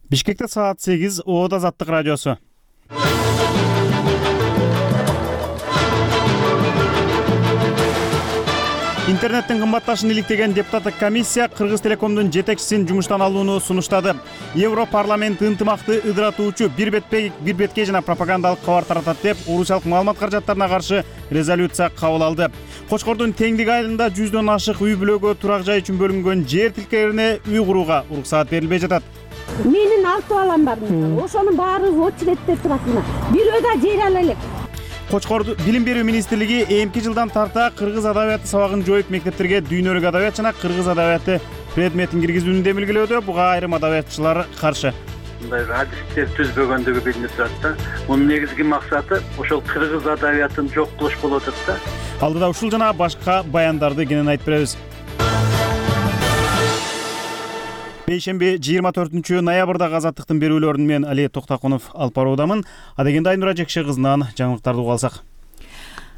Бишкекте саат 8, Оода Азаттык радиосу. Интернеттин кымбатташын иликтеген депутаттык комиссия Кыргыз Телекомдун жетекчисин жумуштан алууну сунуштады. Европарламент ынтымакты ыдыратуучу бир бетке жана пропагандалык кабар таратат деп орусиялык маалымат каражаттарына каршы резолюция кабыл алды. Кочкордун Теңдик айылында 100дөн ашык үй бүлөгө турак жай үчүн бөлүнгөн жер тилкелерине үй курууга уруксаат берилбей жатат. Менин 6 балам бар. Ошонун баары очередте турат. Бирөө да жер ала элек. Кочкорду Билим берүү министрлиги эмки жылдан тарта кыргыз адабияты сабагын жоюп мектептерге дүйнөлүк адабият жана кыргыз адабияты предметин киргизүүнү демилгелөөдө. Буга айрым адабиятчылар каршы. Мындай адистер түзбөгөндүгү билинип турат да. Мунун негизги максаты ошол кыргыз адабиятын жок кылыш болуп атат да. Алдыда ушул жана башка баяндарды кенен айтып беребиз. Бейшемби 24 ноябрдагы Азаттыктын берүүлөрүн мен Али Токтакунов алып баруудамын. Адегенде Айнура Жекше кызынан жаңылыктарды угуп алсак.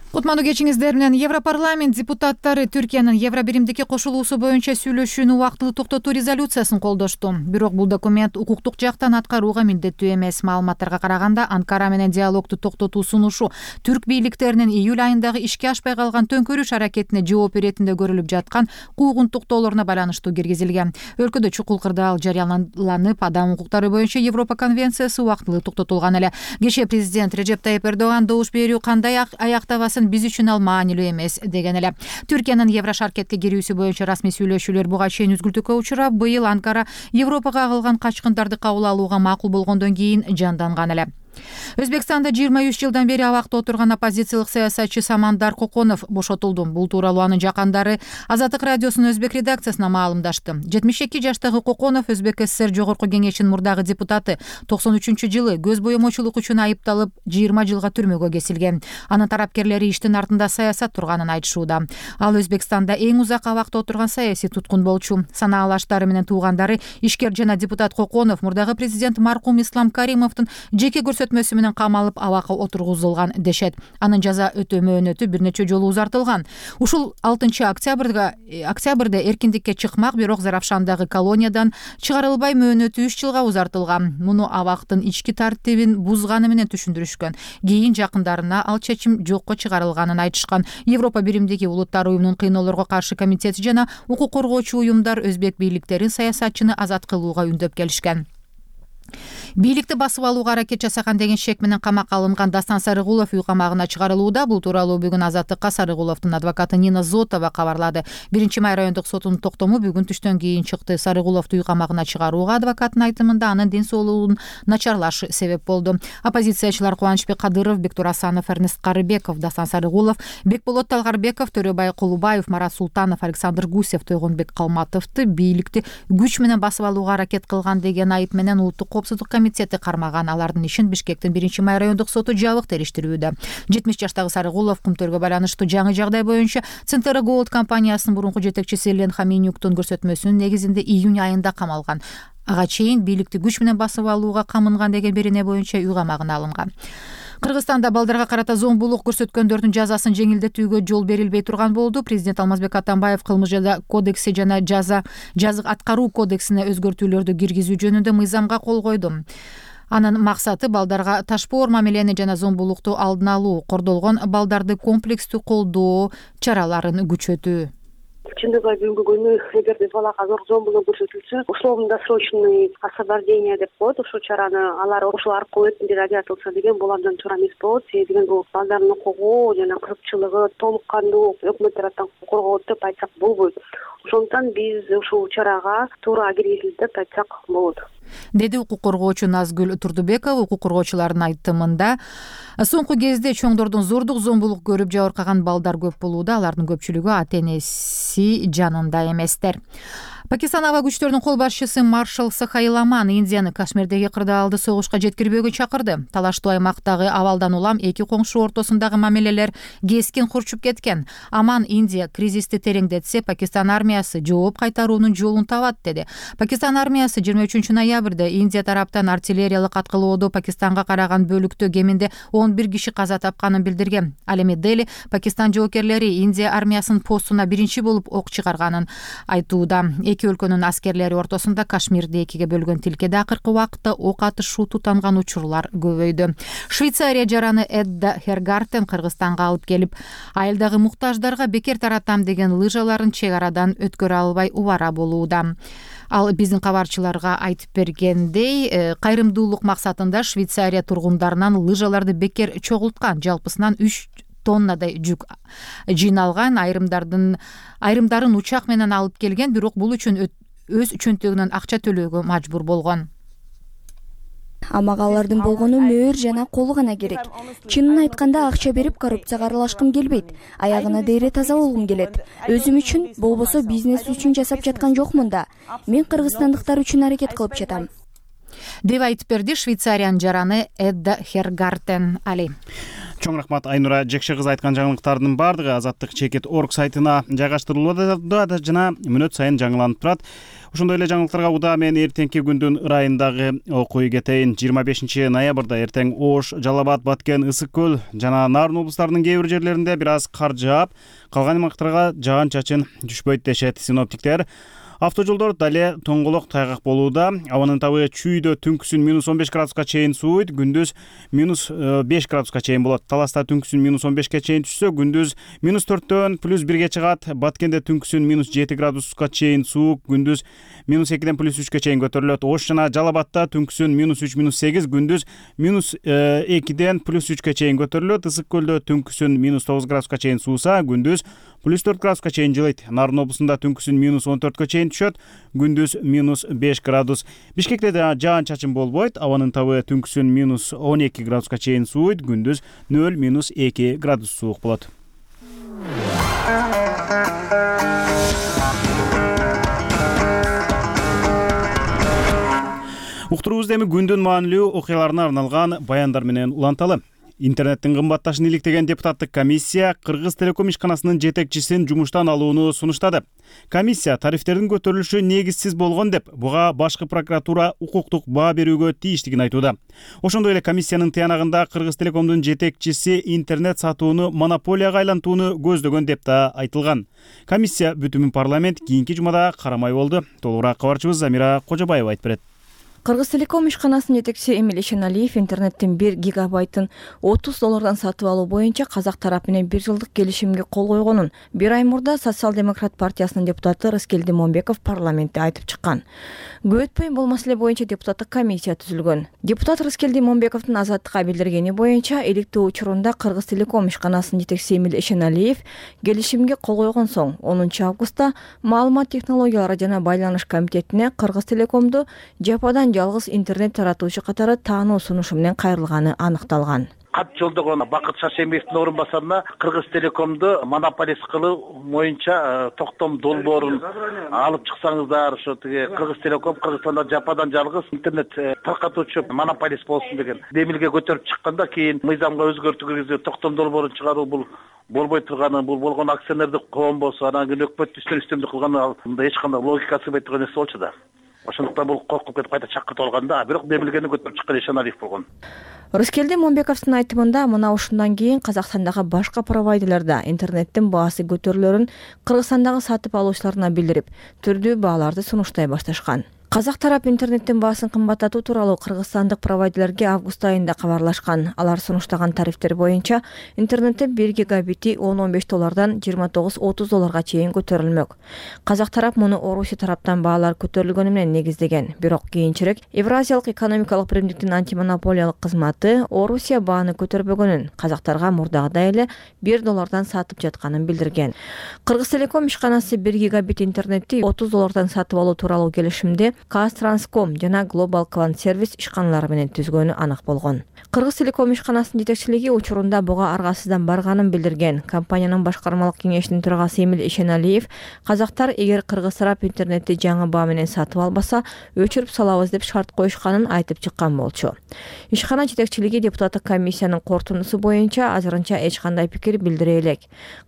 Кутмандуу кечиңиздер менен Европарламент депутаттары Түркиянын Евробиримдикке кошулуусу боюнча сүйлөшүүнү убактылуу токтотуу резолюциясын колдошту. Бирок бул документ укуктук жактан аткарууга милдеттүү эмес. Маалыматтарга караганда Анкара менен диалогду токтотуу сунушу түрк бийликтеринин июль айындагы ишке ашпай калган төңкөрүш аракетине жооп иретинде көрүлүп жаткан куугунтуктоолоруна байланыштуу киргизилген. Өлкөдө чукул кырдаал жарыяланып, адам укуктары боюнча Европа конвенциясы убактылуу токтотулган эле. Кечээ президент Режеп Тайип Эрдоган добуш берүү кандай аяктабасын биз үчүн ал маанилүү эмес деген эле. Түркиянын Еврошаркетке кирүүсү боюнча расмий сүйлөшүүлөр буга чейин үзгүлтүккө учурап, быйыл Анкара Европага кагылган качкындарды кабыл алууга макул болгондон кийин жанданган эле. Өзбекстанда 23 жылдан бери абакта отурган оппозициялык саясатчы Самандар Коконов бошотулду. Бул тууралуу анын жакындары Азаттык радиосунун өзбек редакциясына маалымдашты. 72 жаштагы Коконов Өзбек ССР Жогорку кеңешинин мурдагы депутаты. 93-жылы көз боемочулук үчүн айыпталып 20 жылга түрмөгө кесилген. Анын тарапкерлери иштин артында саясат турганын айтышууда. Ал Өзбекстанда эң узак абакта отурган саясий туткун болчу. Санаалаштары менен туугандары ишкер жана депутат Коконов мурдагы президент маркум Ислам Каримовдун жеке көрсөтмөсү менен камалып абакка отургузулган дешет. Анын жаза өтөө мөөнөтү бир нече жолу узартылган. Ушул 6 октябрда эркиндикке чыкмак, бирок Заравшандагы колониядан чыгарылбай мөөнөтү 3 жылга узартылган. Муну абактын ички тартибин бузганы менен түшүндүрүшкөн. Кийин жакындарына ал чечим жокко чыгарылганын айтышкан. Европа биримдиги улуттар уюмунун кыйноолорго каршы комитети жана укук коргоочу уюмдар өзбек бийликтерин саясатчыны азат кылууга үндөп келишкен. Бийликти басып алууга аракет жасаган деген шек менен камакка алынган Дастан Сарыгулов үй камагына чыгарылууда. Бул тууралуу бүгүн Азаттыкка Сарыгуловдун адвокаты Нина Зотова кабарлады. 1-май райондук сотунун токтому бүгүн түштөн кийин чыкты. Сарыгуловду үй камагына чыгарууга адвокаттын айтымында анын ден соолугунун начарлашы себеп болду. Оппозициячылар Кубанычбек Кадыров, Бектур Асанов, Эрнест Карыбеков, Дастан Сарыгулов, Бекболот Талгарбеков, Төрөбай Кулубаев, Марат Султанов, Александр Гусев, Тойгонбек Калматовду бийликти күч менен басып алууга аракет кылган деген айып менен улуттук коопсуздук комитети кармаган. Алардын ишин Бишкектин 1-май райондук соту жабык териштирүүдө. 70 жаштагы Сарыгулов кумтөргө байланыштуу жаңы жагдай боюнча Центра Голд компаниясынын мурунку жетекчиси Элен Хаминюктун көрсөтмөсүнүн негизинде июнь айында камалган. Ага чейин бийликти күч менен басып алууга камынган деген берене боюнча үй камагына алынган. Кыргызстанда балдарга карата зомбулук көрсөткөндөрдүн жазасын жеңилдетүүгө жол берилбей турган болду. Президент Алмазбек Атамбаев кылмыш жаза кодекси жана жазык аткаруу кодексине өзгөртүүлөрдү киргизүү жөнүндө мыйзамга кол койду. Анын максаты балдарга ташпоор мамилени жана зомбулукту алдын алуу, кордолгон балдарды комплекстүү колдоо чараларын күчөтүү. Чындыгы бүгүнкү күнү эгерде балага зомбулук көрсөтүлсө, условно-досрочный освобождение деп коет. Ушул чараны алар ошол аркылуу өтүндү ажыратылса деген бул абдан туура эмес болот. Себеби бул балдардын укугу жана кызыкчылыгы толук кандуу өкмөт тараптан корголот деп айтсак болбойт. Ошондуктан биз ушул чарага туура киргизилди деп айтсак болот, деди укук коргоочу Назгүл Турдубекова. Укук коргоочулардын айтымында соңку кезде чоңдордун зордук зомбулук көрүп жабыркаган балдар көп болууда. Алардын көпчүлүгү ата-энеси жанында эместер. Пакистан аба күчтөрүнүн кол башчысы маршал Сахаил Аман Индияны Кашмирдеги кырдаалды согушка жеткирбөөгө чакырды. Талаштуу аймактагы абалдан улам эки коңшу ортосундагы мамилелер кескин курчуп кеткен. Аман Индия кризисти тереңдетсе, Пакистан армиясы жооп кайтаруунун жолун табат деди. Пакистан армиясы 23 ноябрда Индия тараптан артиллериялык аткылоодо Пакистанга караган бөлүктө кеминде 11 киши каза тапканын билдирген. Ал эми Дели Пакистан жоокерлери Индия армиясынын постуна биринчи болуп ок чыгарганын айтууда. эки өлкөнүн аскерлери ортосунда Кашмирди экиге бөлгөн тилкеде акыркы убакытта ок атышуу тутанган учурлар көбөйдү. Швейцария жараны Эдда Хергартен Кыргызстанга алып келип, айылдагы муктаждарга бекер таратам деген лыжаларын чек арадан өткөрө албай убара болууда. Ал биздин кабарчыларга айтып бергендей, кайрымдуулук максатында Швейцария тургундарынан лыжаларды бекер чогулткан, жалпысынан 3 тоннадай жүк жиналган, айрымдарын учак менен алып келген, бирок бул үчүн өз чөнтөгүнөн акча төлөөгө мажбур болгон. Ага алардын болгону мөөр жана колу гана керек. Чынын айтканда акча берип коррупцияга аралашкым келбейт. Аягына дейре таза болгум келет. Өзүм үчүн, болбосо бизнес үчүн жасап жаткан жокмун да. Мен кыргызстандыктар үчүн аракет кылып жатам, деп айтып берди Швейцариянын жараны Эдда Хергартен. Али. Чоң рахмат Айнура. Жекше кыз айткан жаңылыктардын баардыгы Азаттык Чекит.org сайтына жайгаштырылууда жана мүнөт сайын жаңыланып турат. Ошондой эле жаңылыктарга удаа мен эртеңки күндүн ырайындагы окуй кетейин. 25 ноябрда эртең Ош, Жалал Абад, Баткен, Ысык көл жана Нарын облустарынын кээ бир жерлеринде бир аз кар жаап, калган аймактарга жаан-чачын түшпөйт дешет синоптиктер. Автожолдор дале тоңголок тайгак болууда. Абанын табы чүйдө түнкүсүн -15 градуска чейин сууйт, күндүз -5 градуска чейин болот. Таласта түнкүсүн -15ке чейин түшсө, күндүз -4дөн +1ге чыгат. Баткенде түнкүсүн -7 градуска чейин суук, күндүз -2ден +3ке чейин көтөрүлөт. Ош жана Жалал Абадта түнкүсүн -3, -8, күндүз -2ден +3ке чейин көтөрүлөт. Ысык көлдө түнкүсүн -9 градуска чейин сууса, күндүз +4 градуска чейин жылыйт. Нарын облусунда түнкүсүн -14ке чейин түшөт, күндүз -5 градус. Бишкекте жаан-чачын болбойт. Абанын табы түнкүсүн -12 градуска чейин сууйт, күндүз 0-2 градус суук болот. Уктуруубузду эми күндүн маанилүү окуяларына арналган баяндар менен уланталы. Интернеттин кымбатташын иликтеген депутаттык комиссия Кыргыз Телеком ишканасынын жетекчисин жумуштан алууну сунуштады. Комиссия тарифтердин көтөрүлүшү негизсиз болгон деп, буга башкы прокуратура укуктук баа берүүгө тийиштигин айтууда. Ошондой эле комиссиянын тыянагында Кыргыз Телекомдун жетекчиси интернет сатууну монополияга айлантууну көздөгөн деп да айтылган. Комиссия бүтүмүн парламент кийинки жумада карамай болду. Толугураак кабарчыбыз Замира Кожобаева айтып берет. Кыргыз Телеком ишканасынын жетекчиси Эмиль Ишеналиев интернеттин 1 гигабайтын $30 сатып алуу боюнча казак тарап менен 1 жылдык келишимге кол койгонун 1 ай мурда Социал-демократ партиясынын депутаты Рыскелди Момбеков парламентте айтып чыккан. Көп өтпөй бул маселе боюнча депутаттык комиссия түзүлгөн. Депутат Рыскелди Момбековдун Азаттыкка билдиргени боюнча, иликтөө учурунда Кыргыз Телеком ишканасынын жетекчиси Эмиль Ишеналиев келишимге кол койгон соң 10 августта Маалымат технологиялары жана байланыш комитетине Кыргыз Телекомду жападан жалгыз интернет таратуучу катары таануу сунушу менен кайрылганы аныкталган. Кат жолдогон Бакыт Шашембиевдин орун басарына Кыргыз Телекомду монополист кылуу боюнча токтом долбоорун алып чыксаңыздар, ошо тиги Кыргыз Телеком Кыргызстанда жападан жалгыз интернет таркатуучу монополист болсун деген демилге көтөрүп чыкканда, кийин мыйзамга өзгөртүү киргизип токтом долбоорун чыгаруу бул болбой турганы, бул болгон акционердик коом болсо, анан кийин өкмөт үстөмдүк кылганы, мында эч кандай логикасы болбой турган нерсе болчу да. Ошондуктан бул коркуп кетип кайта чакыртып алганда, бирок демилгени көтөрүп чыккан Ишеналиев болгон. Рыскелди Момбековдун айтымында, мына ушундан кийин Казакстандагы башка провайдерлерде интернеттин баасы көтөрүлөрүн Кыргызстандагы сатып алуучуларына билдирип, түрдүү бааларды сунуштай башташкан. Казак тарап интернеттин баасын кымбаттатуу тууралуу кыргызстандык провайдерлерге август айында кабарлашкан. Алар сунуштаган тарифтер боюнча интернеттин 1 гигабити $15 $29-30 чейин көтөрүлмөк. Казак тарап муну Орусия тараптан баалар көтөрүлгөнү менен негиздеген. Бирок кийинчерээк Евразиялык экономикалык биримдиктин антимонополиялык кызматы Орусия бааны көтөрбөгөнүн, казактарга мурдагыдай эле $1 сатып жатканын билдирген. Кыргыз Телеком ишканасы 1 гигабит интернетти $30 сатып алуу тууралуу келишимде Казтранском жана Global Clan Service ишканалары менен түзгөнү анык болгон. Кыргыз Телеком ишканасынын жетекчилиги учурунда буга аргасыздан барганын билдирген. Компаниянын башкармалык кеңешинин төрагасы Эмиль Ишеналиев, казактар эгер Кыргыз тарап интернетти жаңы баа менен сатып албаса, өчүрүп салабыз деп шарт коюшканын айтып чыккан болчу. Ишкана жетекчилиги депутаттык комиссиянын корутундусу боюнча азырынча эч кандай пикир билдире элек.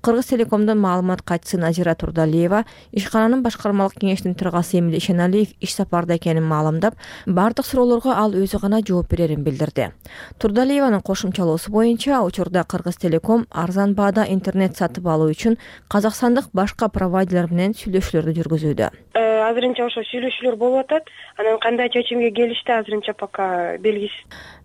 Кыргыз Телекомдун маалымат катчысы Назира Турдалиева ишкананын башкармалык кеңешинин төрагасы Эмиль Ишеналиев иш сапарда экенин маалымдап, бардык суроолорго ал өзү гана жооп берерин билдирди. Турдалиеванын кошумчалоосу боюнча, учурда Кыргыз Телеком арзан баада интернет сатып алуу үчүн казакстандык башка провайдерлер менен сүйлөшүүлөрдү жүргүзүүдө. азырынча ошо сүйлөшүүлөр болуп атат. Анан кандай чечимге келишти азырынча пока белгисиз.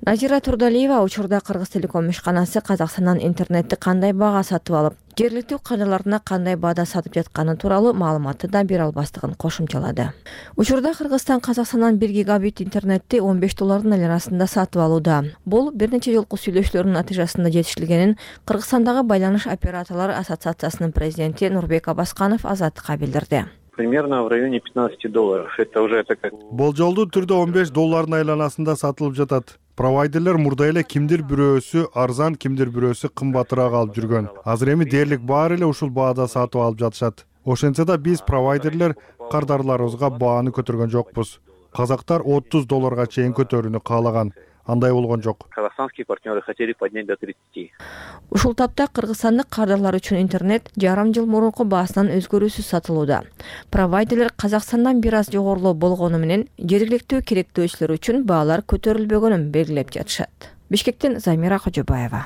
Назира Турдалиева учурда Кыргызтелеком ишканасы Казакстандан интернетти кандай баага сатып алып, жергиликтүү кадрларына кандай баада сатып жатканы тууралуу маалыматты да бере албастыгын кошумчалады. Учурда Кыргызстан Казакстандан 1 гигабит интернетти $15 арасында сатып алууда. Бул бир нече жолку сүйлөшүүлөрдүн натыйжасында жетишилгенин Кыргызстандагы байланыш операторлору ассоциациясынын президенти Нурбек Абасканов Азаттыкка билдирди. Примерно в районе $15. Это уже такая... Болжолдуу түрдө $15 айланасында сатылып жатат. Провайдерлер мурда эле кимдир бирөөсү арзан, кимдир бирөөсү кымбатыраак алып жүргөн. Азыр эми дээрлик баары эле ушул баада сатып алып жатышат. Ошентсе да биз провайдерлер кардарларыбызга бааны көтөргөн жокпуз. Казактар $30 чейин көтөрүүнү каалаган. Андай болгон жок. Казахстанские партнеры хотели поднять до 30. Ушул тапта кыргызстандык кардарлар үчүн интернет жарым жыл мурунку баасынан өзгөрүүсүз сатылууда. Провайдерлер Казакстандан бир аз жогорулуу болгону менен жергиликтүү керектөөчүлөр үчүн баалар көтөрүлбөгөнүн белгилеп жатышат. Бишкектен Замира Кожобаева.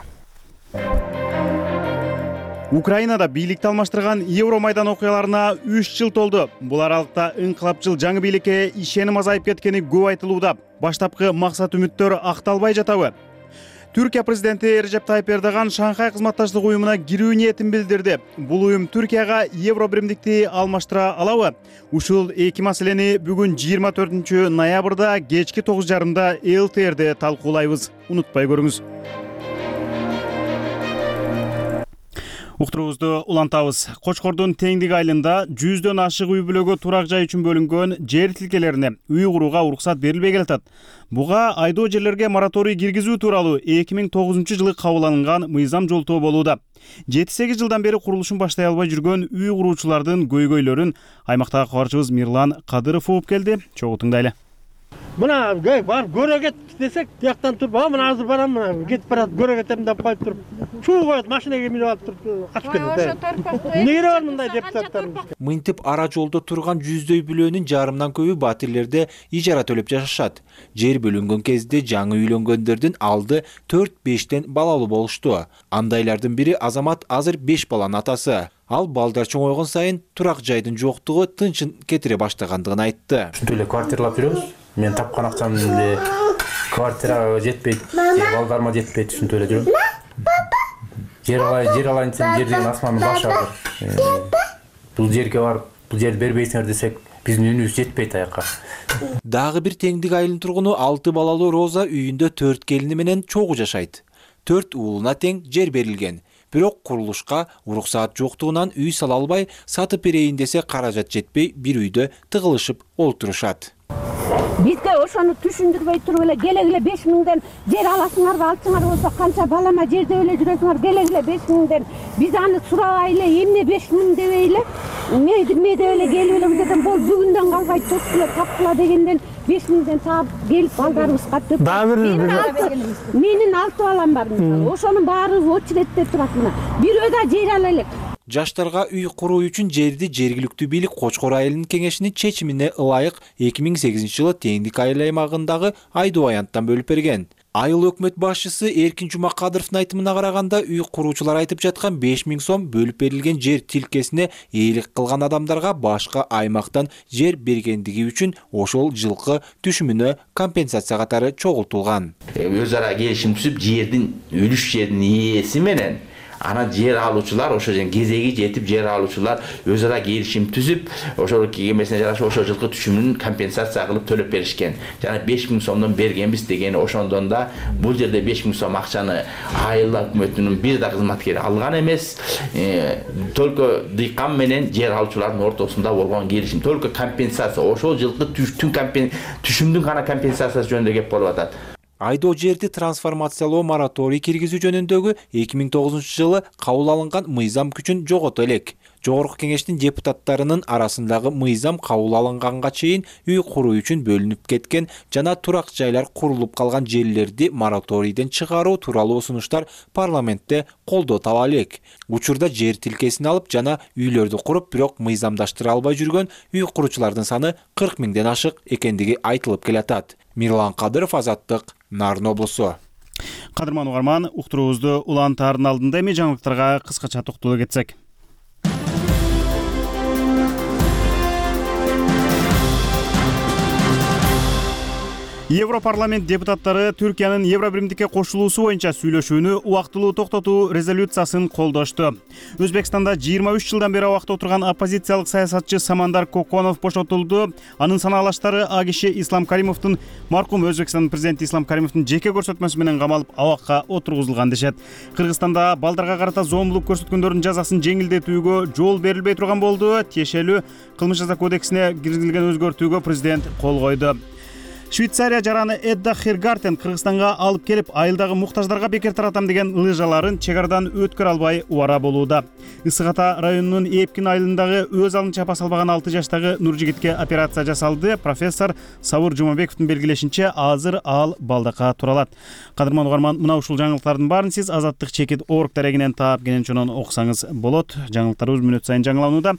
Украинада бийликти алмаштырган Евромайдан окуяларына 3 жыл толду. Бул аралыкта ыңкылапчыл жаңы бийликке ишеним азайып кеткени көп айтылууда. Баштапкы максат үмүттөр акталбай жатабы? Түркия президенти Режеп Тайып Эрдоган Шанхай кызматташтык уюмуна кирүү ниетин билдирди. Бул уюм Түркияга евро биримдикти алмаштыра алабы? Ушул эки маселени бүгүн 24 ноябрда кечки 9:30 ЛТРде талкуулайбыз. Унутпай көрүңүз. Уктуруубузду улантабыз. Кочкордун Теңдик айылында 100дөн ашык үй бүлөгө турак жай үчүн бөлүнгөн жер тилкелерине үй курууга уруксат берилбей келатат. Буга айдоо жерлерге мораторий киргизүү тууралуу 2009-жылы кабыл алынган мыйзам жолтоо болууда. 7-8 жылдан бери курулушун баштай албай жүргөн үй куруучулардын көйгөйлөрүн аймактагы кабарчыбыз Мирлан Кадыров угуп келди. Чогуу тыңдайлы. Мына барып көрө кет десек, тияктан туруп, мына азыр барам, мына кетип барат, көрө кетем деп коюп туруп, чуу коет, машинеге минип алып туруп, качып кетет. Эмнеге бар мындай депутаттарыбыз? Мынтип ара жолдо турган 100дөй бүлөнүн жарымдан көбү батирлерде ижара төлөп жашашат. Жер бөлүнгөн кезде жаңы үйлөнгөндөрдүн алды 4-5тен балалуу болушту. Андайлардын бири Азамат азыр 5 баланын атасы. Ал балдар чоңойгон сайын турак жайдын жоктугу тынчын кетире баштагандыгын айтты. Ушинтип эле квартиралап жүрөбүз. Мен тапкан акчам эле квартирага жетпейт, балдарыма жетпейт, ушинтип эле жүрөм. Жер алайын десем, жер деген асмандын башы азыр. Бул жерге барып, бул жерди бербейсиңер десек, биздин үнүбүз жетпейт аяка. Дагы бир Теңдик айылынын тургуну 6 балалуу Роза үйүндө 4 келини менен чогуу жашайт. 4 уулуна тең жер берилген. Бирок курулушка уруксаат жоктугунан үй сала албай, сатып берейин десе каражат жетпей, бир үйдө тыгылышып олтурушат. Бизге ошону түшүндүрбөй туруп эле келегиле 5000ден жер аласыңарбы, алсаңар болсо канча балама жерде эле жүрөсүңөр, келегиле 5000ден. Биз аны сурабай эле эмне 5000 дебей эле, ме деп эле келип эле бул жерден бул бүгүндөн калбай тоскула тапкыла дегенден 5000ден таап келип балдарыбызга төп. Менин 6 балам бар мисалы. Ошонун баары очередте турат мына. Бирөө да жер ала элек. Жаштарга үй куруу үчүн жерди жергиликтүү бийлик Кочкор айылынын кеңешинин чечимине ылайык 2008-жылы Теңдик айыл аймагындагы айдоо аянттан бөлүп берген. Айыл өкмөт башчысы Эркин Жумакадыровдун айтымына караганда, үй куруучулар айтып жаткан 5000 сом бөлүп берилген жер тилкесине ээлик кылган адамдарга башка аймактан жер бергендиги үчүн ошол жылкы түшүмүнө компенсация катары чогултулган. Өз ара келишим түзүп, жердин үлүш жердин ээси менен ана жер алуучулар, ошо кезеги жетип жер алуучулар өз ара келишим түзүп, ошол кемесине жараша ошол жылкы түшүмүн компенсация кылып төлөп беришкен. Жана 5000 сомдон бергенбиз деген ошондон да бул жерде 5000 сом акчаны айыл өкмөтүнүн бир да кызматкери алган эмес. Только дыйкан менен жер алуучулардын ортосунда болгон келишим. Только компенсация, ошол жылкы түшүмдүн гана компенсациясы жөнүндө кеп болуп атат. Айдоо жерди трансформациялоо мораторий киргизүү жөнүндөгү 2009-жылы кабыл алынган мыйзам күчүн жогото элек. Жогорку кеңештин депутаттарынын арасындагы мыйзам кабыл алынганга чейин үй куруу үчүн бөлүнүп кеткен жана турак жайлар курулуп калган жерлерди мораторийден чыгаруу тууралуу сунуштар парламентте колдоо таба элек. Учурда жер тилкесин алып жана үйлөрдү куруп, бирок мыйзамдаштыра албай жүргөн үй куруучулардын саны 40 000ден ашык экендиги айтылып келатат. Мирлан Кадыров, Азаттык, Нарын облусу. Кадырман угарман, уктуруубузду улантаардын алдында эми жаңылыктарга кыскача токтоло кетсек. Европарламент депутаттары Түркиянын Евробиримдикке кошулуусу боюнча сүйлөшүүнү убактылуу токтотуу резолюциясын колдошту. Өзбекстанда 23 жылдан бери абакта отурган оппозициялык саясатчы Самандар Коконов бошотулду. Анын санаалаштары АГШ Ислам Каримовдун, маркум Өзбекстандын президенти Ислам Каримовдун жеке көрсөтмөсү менен камалып абакка отургузулган дешет. Кыргызстанда балдарга карата зомбулук көрсөткөндөрдүн жазасын жеңилдетүүгө жол берилбей турган болду. Тиешелүү кылмыш жаза кодексине киргизилген өзгөртүүгө президент кол койду. Швейцария жараны Эдда Хергартен Кыргызстанга алып келип, айылдагы муктаждарга бекер таратам деген лыжаларын чек арадан өткөрө албай убара болууда. Ысык Ата районунун Эпкин айылындагы өз алын чапа салбаган 6 жаштагы Нуржигитке операция жасалды. Профессор Сабыр Жумабековдун белгилешинче, азыр ал балдакка туралат. Кадырман угарман, мына ушул жаңылыктардын баарын сиз Азаттык чекит орг дарегинен таап кенен окусаңыз болот. Жаңылыктарыбыз мүнөт сайын жаңыланууда.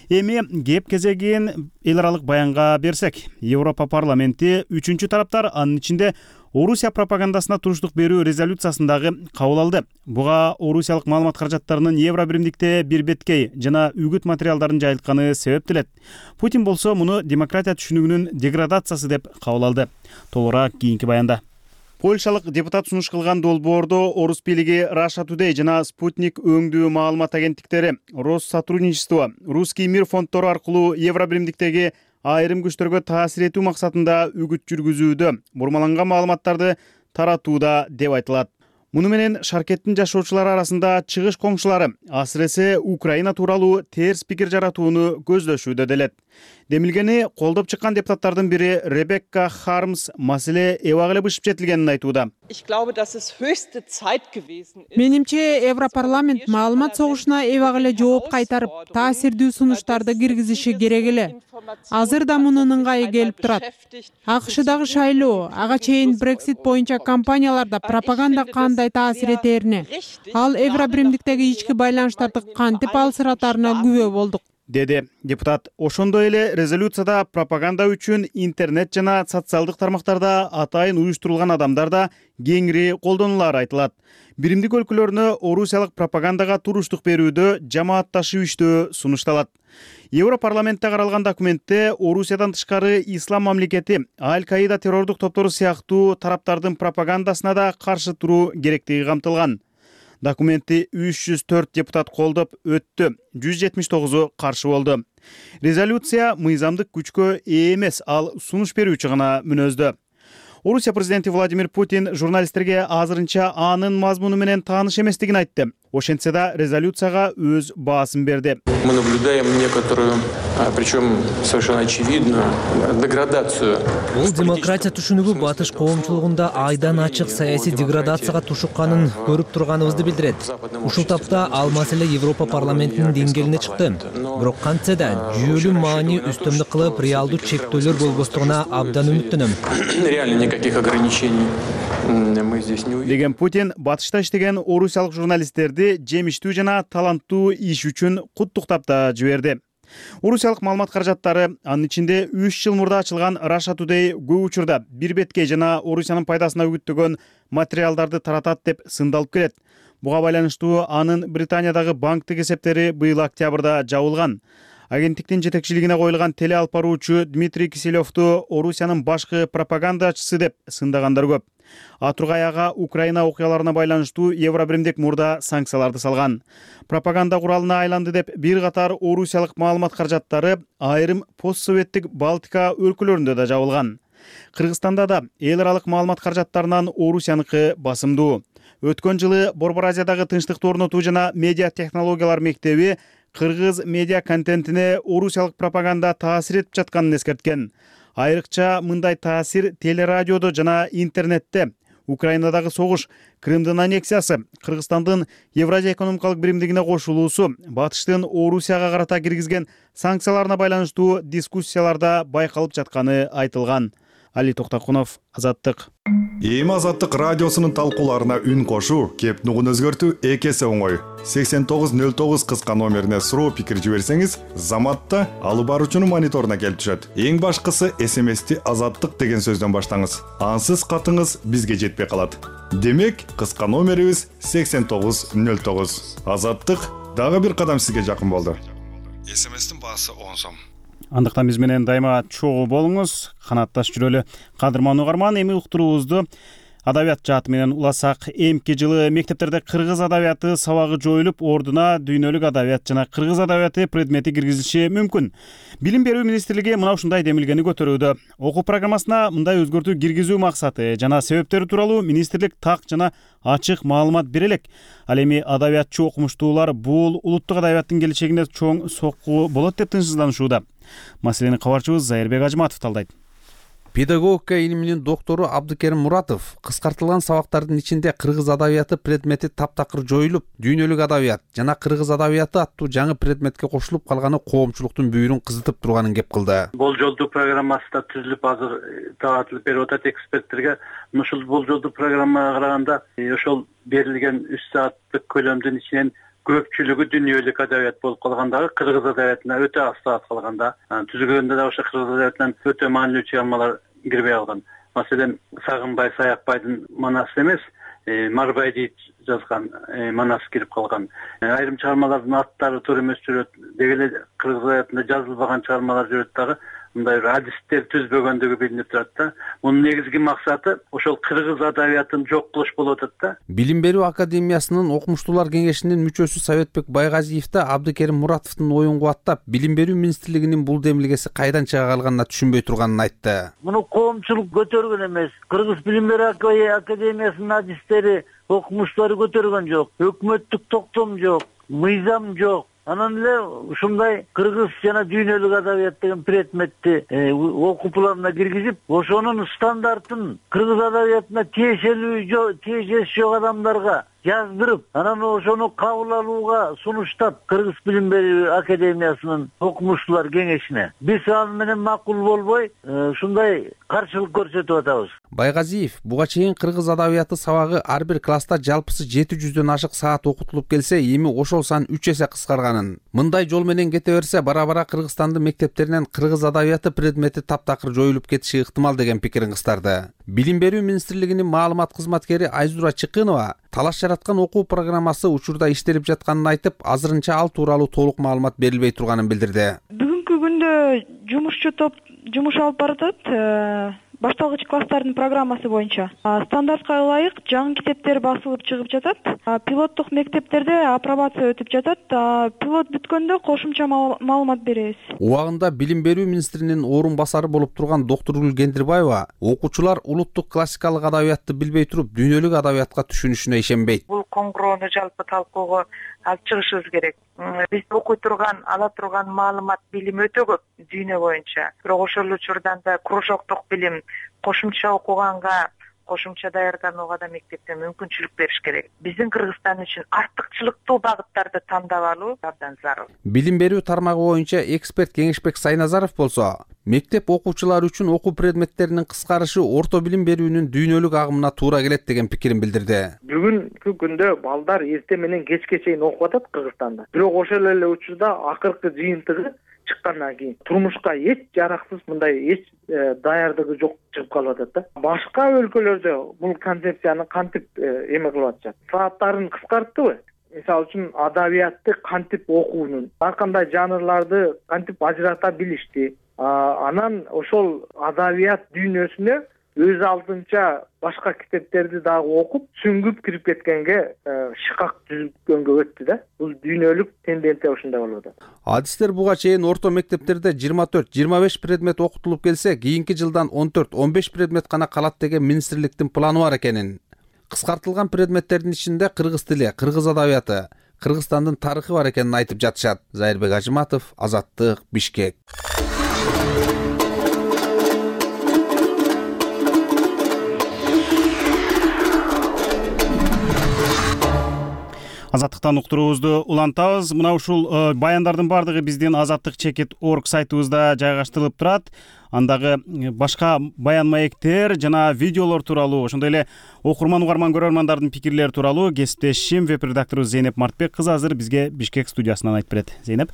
Эми кеп кезегин эл аралык баянга берсек, Европа парламенти үчүнчү тараптар, анын ичинде Орусия пропагандасына туруштук берүү резолюциясындагы кабыл алды. Буга орусиялык маалымат каражаттарынын Евробиримдикте бирбеткей жана үгүт материалдарын жайылтканы себептелет. Путин болсо муну демократия түшүнүгүнүн деградациясы деп кабыл алды. Толугураак кийинки баянда. Польшалык депутат сунуш кылган долбоордо Орус бийлиги Russia Today жана Спутник өңдүү маалымат агенттиктери, Россотрудничество, Русский мир фонддору аркылуу Евробиримдиктеги айрым күчтөргө таасир этүү максатында үгүт жүргүзүүдө, бурмаланган маалыматтарды таратууда деп айтылат. Муну менен шаркеттин жашоочулары арасында чыгыш коңшулары асыресе Украина тууралуу терс пикир жаратууну көздөшүүдө делет. Демилгени колдоп чыккан депутаттардын бири Ребекка Хармс маселе эбак эле бышып жетилгенин айтууда. Менимче Европарламент маалымат согушуна эбак эле жооп кайтарып, таасирдүү сунуштарды киргизиши керек эле. Азыр да мунун ыңгайы келип турат. АКШдагы шайлоо, ага чейин Brexit боюнча компанияларда пропаганда кандай таасир этерине, ал Евробиримдиктеги ички байланыштарды кантип алсыратарына күбө болдук, деди депутат. Ошондой эле резолюцияда пропаганда үчүн интернет жана социалдык тармактарда атайын уюштурулган адамдар да кеңири колдонулары айтылат. Биримдик өлкөлөрүнө орусиялык пропагандага туруштук берүүдө жамаатташуу сунушталат. Европарламентте каралган документте Орусиядан тышкары ислам мамлекети, Аль-Каида террордук топтору сыяктуу тараптардын пропагандасына да каршы туруу керектиги камтылган. Документти 304 депутат колдоп өттү, 179 каршы болду. Резолюция мыйзамдык күчкө ээ эмес, ал сунуш берүүчү гана мүнөздө. Орусия президенти Владимир Путин журналисттерге азырынча анын мазмуну менен тааныш эместигин айтты. Ошентсе да резолюцияга өз баасын берди. Мы наблюдаем некоторую, причем совершенно очевидную, деградацию. Бул демократия түшүнүгү батыш коомчулугунда айдан ачык саясий деградацияга тушукканын көрүп турганыбызды билдирет. Ушул тапта ал маселе Европа парламентинин деңгээлине чыкты. Бирок кантсе да жүйөлүү маани үстөмдүк кылып, реалдуу чектөөлөр болбостугуна абдан үмүттөнөм. Реально никаких ограничений мы здесь не увидим. Деген Путин батышта иштеген орусиялык журналисттерди жемиштүү жана таланттуу иш үчүн куттуктап да жиберди. Орусиялык маалымат каражаттары, анын ичинде 3 жыл мурда ачылган Russia Today көп учурда бирбеткей жана Орусиянын пайдасына үгүттөгөн материалдарды таратат деп сындалып келет. Буга байланыштуу анын Британиядагы банктык эсептери быйыл октябрда жабылган. Агенттиктин жетекчилигине коюлган теле алып баруучу Дмитрий Киселевду Орусиянын башкы пропагандачысы деп сындагандар көп. Атургай ага Украина окуяларына байланыштуу Евробиримдик мурда санкцияларды салган. Пропаганда куралына айланды деп бир катар орусиялык маалымат каражаттары айрым постсоветтик Балтика өлкөлөрүндө да жабылган. Кыргызстанда да эл аралык маалымат каражаттарынан Орусияныкы басымдуу. Өткөн жылы Борбор Азиядагы тынчтыкты орнотуу жана медиа технологиялар мектеби кыргыз медиа контентине орусиялык пропаганда таасир этип жатканын эскерткен. Айрыкча мындай таасир телерадиодо жана интернетте. Украинадагы согуш, Крымдын аннексиясы, Кыргызстандын Евразия экономикалык биримдигине кошулуусу, батыштын Орусияга карата киргизген санкцияларына байланыштуу дискуссияларда байкалып жатканы айтылган. Али Токтокунов, Азаттык. Эми Азаттык радиосунун талкууларына үн кошуу, кеп нугун өзгөртүү эки эсе оңой. 8909 кыска номерине суроо пикир жиберсеңиз, Заматта алып баруучунун мониторуна келип түшөт. Эң башкысы СМСти Азаттык деген сөздөн баштаңыз. Ансыз катыңыз бизге жетпей калат. Демек, кыска номерибиз 8909. Азаттык дагы бир кадам сизге жакын болду. СМСтин баасы 10 сом. Андыктан биз менен дайыма чогуу болуңуз, канатташ жүрөлү. Кадырман угарман, эми уктуруубузду адабият жааты менен уласак. Эмки жылы мектептерде кыргыз адабияты сабагы жоюлуп, ордуна дүйнөлүк адабият жана кыргыз адабияты предмети киргизилиши мүмкүн. Билим берүү министрлиги мына ушундай демилгени көтөрүүдө. Окуу программасына мындай өзгөртүү киргизүү максаты жана себептери тууралуу министрлик так жана ачык маалымат бере элек. Ал эми адабиятчы окумуштуулар бул улуттук адабияттын келечегине чоң сокку болот деп тынчсызданышууда. Маселени кабарчыбыз Зайырбек Ажматов талдайт. Педагогика илиминин доктору Абдыкерим Муратов кыскартылган сабактардын ичинде кыргыз адабияты предмети таптакыр жоюлуп, дүйнөлүк адабият жана кыргыз адабияты аттуу жаңы предметке кошулуп калганы коомчулуктун бүйүрүн кызытып турганын кеп кылды. Болжолдуу программасы да түзүлүп азыр таратылып берип атат эксперттерге. Ушул болжолдуу программага караганда ошол берилген 3 сааттык көлөмдүн ичинен көпчүлүгү дүйнөлүк адабият болуп калгандагы кыргыз адабиятына өтө аз саат калганда, түзүлгөндө да ошо кыргыз адабиятынан өтө маанилүү чыгармалар кирбей калган. Маселен, Сагынбай Саякбайдын манасы эмес, Марбайди жазган манас кирип калган. Айрым чыгармалардын аттары туура эмес жүрөт. Деги эле кыргыз адабиятында жазылбаган чыгармалар жүрөт дагы. Мындай адистер түзбөгөндүгү билинип турат да. Мунун негизги максаты ошол кыргыз адабиятын жок кылыш болуп атат да. Билим берүү академиясынын окумуштуулар кеңешинин мүчөсү Советбек Байгазиев да Абдыкерим Муратовдун оюн кубаттап, билим берүү министрлигинин бул демилгеси кайдан чыга калганына түшүнбөй турганын айтты. Муну коомчулук көтөргөн эмес. Кыргыз билим берүү академиясынын адистери, окумуштуулары көтөргөн жок. Өкмөттүк токтом жок, мыйзам жок. Анан эле ушундай кыргыз жана дүйнөлүк адабият деген предметти окуу планына киргизип, ошонун стандартын кыргыз адабиятына тиешеси жок адамдарга жаздырып, анан ошону кабыл алууга сунуштап Кыргыз билим берүү академиясынын окумуштуулар кеңешине. Биз аны менен макул болбой, ушундай каршылык көрсөтүп атабыз. Байгазиев буга чейин кыргыз адабияты сабагы ар бир класста жалпысы 700дөн ашык саат окутулуп келсе, эми ошол сан 3 эсе кыскарганын. Мындай жол менен кете берсе, бара-бара Кыргызстандын мектептеринен кыргыз адабияты предмети таптакыр жоюлуп кетиши ыктымал деген пикирин кыстарды. Билим берүү министрлигинин маалымат кызматкери Айзура Чыкынова талаш жараткан окуу программасы учурда иштелип жатканын айтып, азырынча ал тууралуу толук маалымат берилбей турганын билдирди. Бүгүнкү күндө жумушчу топ жумуш алып баратат. Башталгыч класстардын программасы боюнча стандартка ылайык жаңы китептер басылып чыгып жатат. Пилоттук мектептерде апробация өтүп жатат. Пилот бүткөндө кошумча маалымат беребиз. Убагында билим берүү министринин орун басары болуп турган доктор Гендирбаева окуучулар улуттук классикалык адабиятты билбей туруп, дүйнөлүк адабиятка түшүнүшүнө ишенбейт. Бул коңгуроону жалпы талкууга алып чыгышыбыз керек. Биз окуй турган, ала турган маалымат, билим өтө көп дүйнө боюнча. Бирок ошол учурдан да кружоктук билим, кошумча окуганга, кошумча даярданууга да мектепте мүмкүнчүлүк бериш керек. Биздин Кыргызстан үчүн артыкчылыктуу багыттарды тандап алуу абдан зарыл. Билим берүү тармагы боюнча эксперт Кеңешбек Сайназаров болсо, мектеп окуучулары үчүн окуу предметтеринин кыскарышы орто билим берүүнүн дүйнөлүк агымына туура келет деген пикирин билдирди. Бүгүнкү күндө балдар эрте менен кечке чейин окуп атат Кыргызстанда. Бирок ошол эле учурда акыркы жыйынтыгы чыккандан кийин турмушка эч жараксыз, мындай эч даярдыгы жок чыгып калып атат да. Башка өлкөлөрдө бул концепцияны кантип эме кылып атышат? Сааттарын кыскарттыбы? Мисалы үчүн адабиятты кантип окуунун, ар кандай жанрларды кантип ажырата билишти. Анан ошол адабият дүйнөсүнө өз алдынча башка китептерди дагы окуп, сүңгүп кирип кеткенге шыкак түзүлгөнгө өттү да. Бул дүйнөлүк тенденция ушундай болуп атат. Адистер буга чейин орто мектептерде 24-25 предмет окутулуп келсе, кийинки жылдан 14-15 предмет гана калат деген министрликтин планы бар экенин. Кыскартылган предметтердин ичинде кыргыз тили, кыргыз адабияты, Кыргызстандын тарыхы бар экенин айтып жатышат. Зайырбек Ажматов, Азаттык, Бишкек. Азаттыктан уктуруубузду улантабыз. Мына ушул баяндардын баардыгы биздин azattik.org сайтыбызда жайгаштырылып турат. Андагы башка баян маектер жана видеолор тууралуу, ошондой эле окурман, угарман, көрөрмандардын пикирлери тууралуу кесиптешим веб-редактору Зейнеп Мартбек кызы азыр бизге Бишкек студиясынан айтып берет. Зейнеп.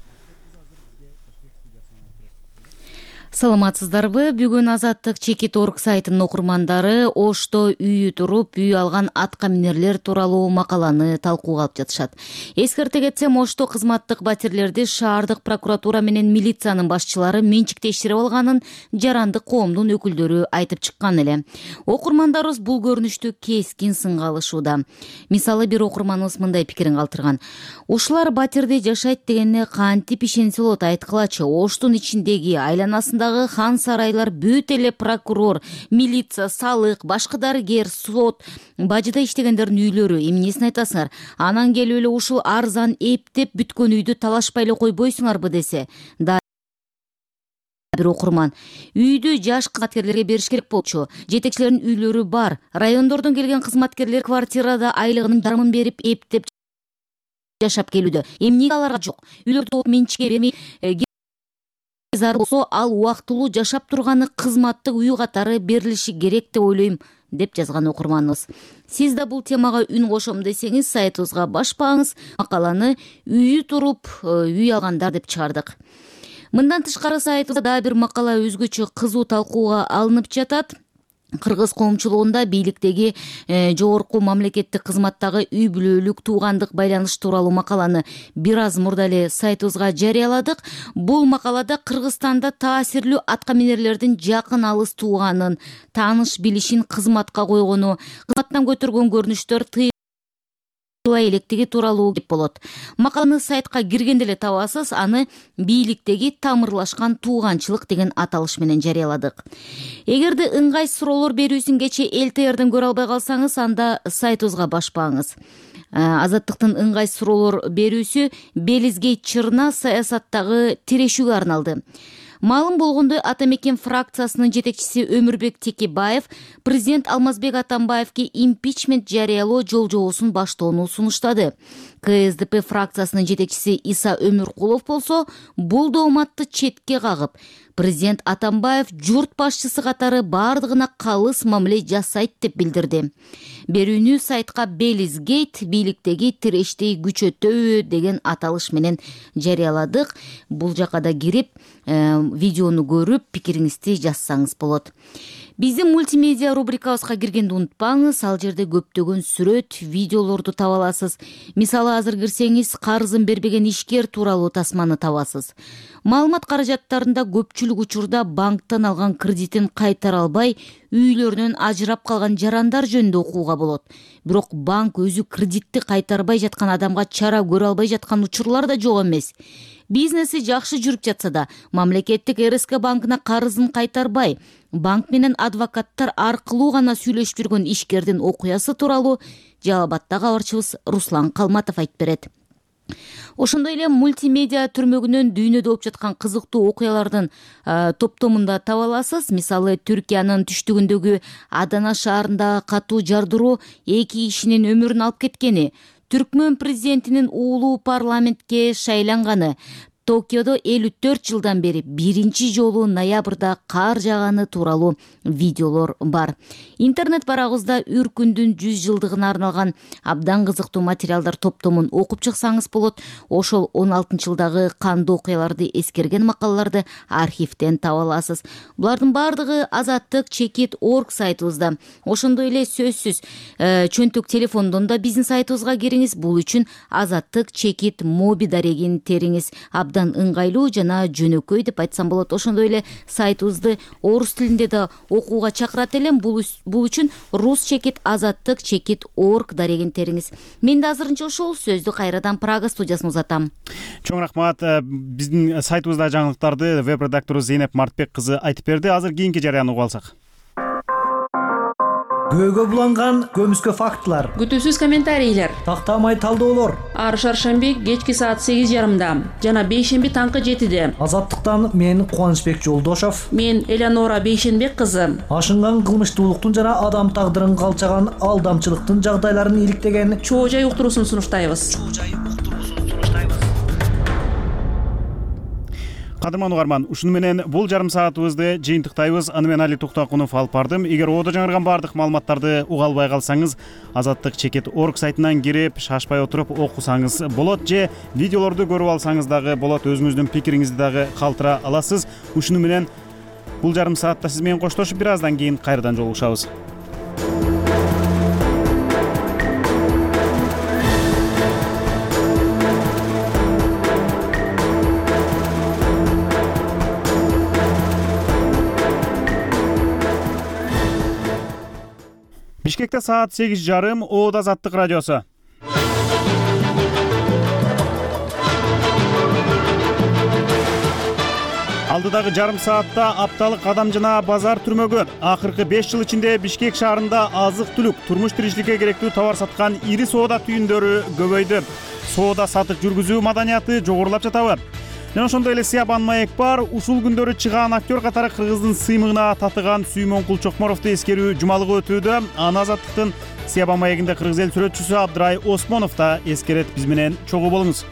Саламатсыздарбы? Бүгүн Азаттык Чекит.org сайтынын окурмандары Ошто үйү туруп үй алган атка минерлер тууралуу макаланы талкууга алып жатышат. Эскерте кетсем, Ошто кызматтык батирлерди шаардык прокуратура менен милициянын башчылары менчиктештирип алганын жарандык коомдун өкүлдөрү айтып чыккан эле. Окурмандарыбыз бул көрүнүштү кескин сынга алышууда. Мисалы, бир окурманыбыз мындай пикирин калтырган. Ушулар батирде жашайт дегенне кантип ишенсе болот, айткылачы. Оштун ичиндеги айланасында хан сарайлар бүт эле прокурор, милиция, салык, башкы дарыгер, сот, бажыда иштегендердин үйлөрү. Эмнесин айтасыңар? Анан келип эле ушул арзан эптеп бүткөн үйдү талашпай эле койбойсуңарбы десе. Бир окурман: үйдү жаш кызматкерлерге бериш керек болчу. Жетекчилердин үйлөрү бар. Райондордон келген кызматкерлер квартирада айлыгынын жарымын берип эптеп жашап келүүдө. Эмнеге аларга жок? Үйлөрдү менчикке бермей зар болсо, ал убактылуу жашап турганы кызматтык үй катары берилиши керек деп ойлойм, деп жазган окурманыбыз. Сиз да бул темага үн кошом десеңиз, сайтыбызга башпаңыз, макаланы үйү туруп үй алгандар деп чыгардык. Мындан тышкары сайтыбызда дагы бир макала өзгөчө кызуу талкууга алынып жатат. Кыргыз коомчулугунда бийликтеги жогорку мамлекеттик кызматтагы үй бүлөлүк туугандык байланыш тууралуу макаланы бир аз мурда эле сайтыбызга жарыяладык. Бул макалада Кыргызстанда таасирлүү атка минерлердин жакын алыс тууганын, тааныш билишин кызматка койгону, кызматтан көтөргөн көрүнүштөр электиги тууралуу кеп болот. Макаланы сайтка киргенде эле табасыз, аны бийликтеги тамырлашкан тууганчылык деген аталыш менен жарыяладык. Эгерде ыңгай суроолор берүүсүн кече ЛТРден көрө албай калсаңыз, анда сайтыбызга башпаңыз. Азаттыктын ыңгай суроолор берүүсү Белизгейт чырына саясаттагы тирешүүгө арналды. Маалым болгондой, Ата мекен фракциясынын жетекчиси Өмүрбек Текебаев президент Алмазбек Атамбаевге импичмент жарыялоо жолжобосун баштоону сунуштады. КСДП фракциясынын жетекчиси Иса Өмүркулов болсо бул дооматты четке кагып, президент Атамбаев журт башчысы катары бардыгына калыс мамиле жасайт деп билдирди. Берүүнү сайтка Белизгейт бийликтеги тирештей күчөтөбү деген аталыш менен жарыяладык. Бул жака да кирип, видеону көрүп, пикириңизди жазсаңыз болот. Биздин мультимедиа рубрикабызга киргенди унутпаңыз, ал жерде көптөгөн сүрөт, видеолорду таба аласыз. Мисалы, азыр кирсеңиз, карызын бербеген ишкер тууралуу тасманы табасыз. Маалымат каражаттарында көпчүлүк учурда банктан алган кредитин кайтара албай, үйлөрүнөн ажырап калган жарандар жөнүндө окууга болот. Бирок банк өзү кредитти кайтарбай жаткан адамга чара көрө албай жаткан учурлар да жок эмес. Бизнеси жакшы жүрүп жатса да, мамлекеттик РСК банкына карызын кайтарбай, банк менен адвокаттар аркылуу гана сүйлөшүп жүргөн ишкердин окуясы тууралуу Жалал Абадтагы кабарчыбыз Руслан Калматов айтып берет. Ошондой эле мультимедиа түрмөгүнөн дүйнөдө болуп жаткан кызыктуу окуялардын топтомунда таба аласыз. Мисалы, Түркиянын түштүгүндөгү Адана шаарындагы катуу жардыруу 2 кишинин өмүрүн алып кеткени, Түркмөн президентинин уулу парламентке шайланганы, Токиодо 54 жылдан бери биринчи жолу ноябрда кар жааганы тууралуу видеолор бар. Интернет барагыбызда Үркүндүн 100 жылдыгына арналган абдан кызыктуу материалдар топтомун окуп чыксаңыз болот. Ошол 16-жылдагы кандуу окуяларды эскерген макалаларды архивден таба аласыз. Булардын бардыгы Азаттык Чекит.org сайтыбызда. Ошондой эле сөзсүз чөнтөк телефондон да биздин сайтыбызга кириңиз. Бул үчүн Азаттык Чекит моби дарегин териңиз. Абдан ыңгайлуу жана жөнөкөй деп айтсам болот. Ошондой эле сайтыбызды орус тилинде да окууга чакырат элем. Бул үчүн рус чекит Азаттык Чекит.org дарегин териңиз. Мен да азырынча ошол сөздү кайрадан Прага студиясына узатам. Чоң рахмат. Биздин сайтыбыздагы жаңылыктарды веб-редактору Зейнеп Мартбек кызы айтып берди. Азыр кийинки жарыяны угуп алсак. Көөгө буланган көмүскө фактылар, күтүүсүз комментарийлер, тактамай талдоолор. Ар шаршемби кечки саат 8:30, жана бейшемби таңкы 7:00. Азаттыктан мен Кубанычбек Жолдошов, мен Элеонора Бейшенбек кызы. Ашынган кылмыштуулуктун жана адам тагдырын калчаган алдамчылыктын жагдайларын иликтеген чоо жай уктуруусун сунуштайбыз. Кадырман угарман, ушуну менен бул жарым саатыбызды жыйынтыктайбыз. Аны мен Али Туктакунов алып бардым. Эгер оодо жаңырган бардык маалыматтарды уга албай калсаңыз, Азаттык Чекит.org сайтынан кирип, шашпай отуруп окусаңыз болот, же видеолорду көрүп алсаңыз дагы болот. Өзүңүздүн пикириңизди дагы калтыра аласыз. Ушуну менен Бул жарым саатта сиз менен коштошуп бир аздан кийин кайрадан жолугушабыз. Бишкекте саат 8:30. Оод Азаттык радиосу. Алдыдагы жарым саатта апталык адам жана базар түрмөгү. Акыркы 5 жыл ичинде Бишкек шаарында азык-түлүк, турмуш тиричиликке керектүү товар саткан ири соода түйүндөрү көбөйдү. Соода сатык жүргүзүү маданияты жогорулап жатабы? Жана ошондой эле Сиябан Маекбар ушул күндөрү чыгаан актер катары кыргыздын сыймыгына татыган Сүймөнкул Чокморовду эскерүү жумалыгы өтүүдө. Аны Азаттыктын Сиябан Маегинде кыргыз эл сүрөтчүсү Абдрай Осмонов да эскерет. Биз менен чогуу болуңуз.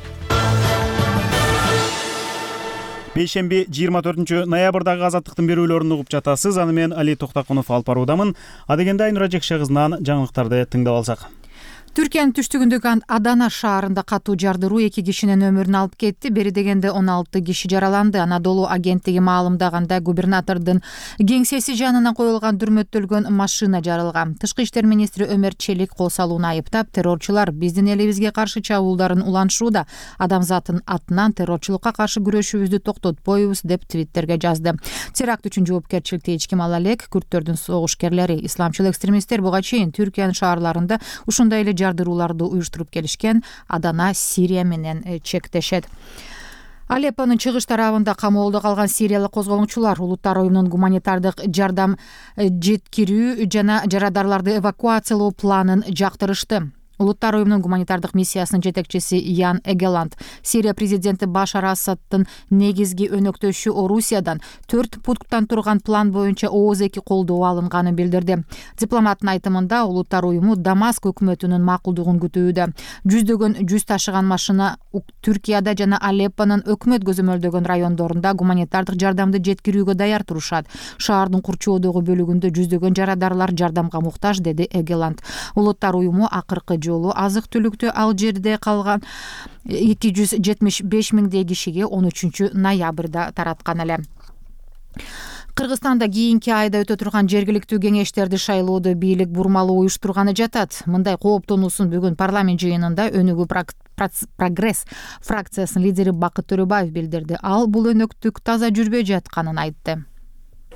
Бейшемби 24 ноябрдагы Азаттыктын берүүлөрүн угуп жатасыз. Аны мен Али Токтакунов алып баруудамын. Адегенде Айнура Жекше кызынан жаңылыктарды тыңдап алсак. Түркиянын түштүгүндөгү Адана шаарында катуу жардыруу 2 кишинин өмүрүн алып кетти. Бери дегенде 16 киши жараланды. Анадолу агенттиги маалымдаганда губернатордун кеңсеси жанынан коюлган дүрмөттөлгөн машина жарылган. Тышкы иштер министри Өмөр Челик кол салууну айыптап, террорчулар биздин элибизге каршы чабуулдарын улантышууда. Адамзаттын атынан террорчулукка каршы күрөшүүбүздү токтотпойбуз деп твиттерге жазды. Теракт үчүн жоопкерчиликти эч ким ала элек. Күрттөрдүн согушкерлери, исламчыл экстремисттер буга чейин Түркиянын шаарларында ушундай эле жардырууларды уюштуруп келишкен. Адана Сирия менен чектешет. Алеппонун чыгыш тарабында камоолдо калган сириялык козголоңчулар Улуттар уюмунун гуманитардык жардам жеткирүү жана жарадарларды эвакуациялоо планын жактырышты. Улуттар уюмунун гуманитардык миссиясынын жетекчиси Ян Эгеланд Сирия президенти Башар Асаддын негизги өнөктөшү Орусиядан 4 пункттан турган план боюнча ооз-эки колдоо алынганын билдирди. Дипломаттын айтымында Улуттар уюму Дамаск өкмөтүнүн макулдугун күтүүдө. Жүз ташыган машина Түркияда жана Алеппонун өкмөт көзөмөлдөгөн райондорунда гуманитардык жардамды жеткирүүгө даяр турушат. Шаардын курчоодогу бөлүгүндө жүздөгөн жарадарлар жардамга муктаж, деди Эгеланд. Улуттар уюму акыркы жолу азык-түлүктү ал жерде калган 275 миңдей кишиге 13 ноябрда тараткан эле. Кыргызстанда кийинки айда өтө турган жергиликтүү кеңештерди шайлоодо бийлик бурмалоо уюштурганы жатат. Мындай кооптонуусун бүгүн парламент жыйынында Өнүгүү Прогресс фракциясынын лидери Бакыт Төрөбаев билдирди. Ал бул өнөктүк таза жүрбөй жатканын айтты.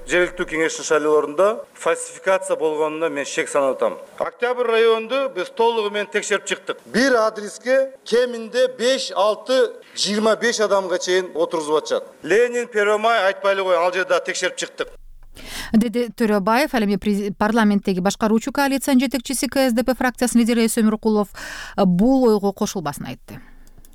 Жергиликтүү кеңештин шайлоолорунда фальсификация болгонуна мен шек санап атам. Октябрь районунду биз толугу менен текшерип чыктык. Бир адреске кеминде 5-6-25 адамга чейин отургузуп атышат. Ленин, Первомай айтпай эле кой, ал жерде текшерип чыктык, деди Төрөбаев. Ал эми парламенттеги башкаруучу коалициянын жетекчиси КСДП фракциясынын лидери Эсөмүр Рукулов бул ойго кошулбасын айтты.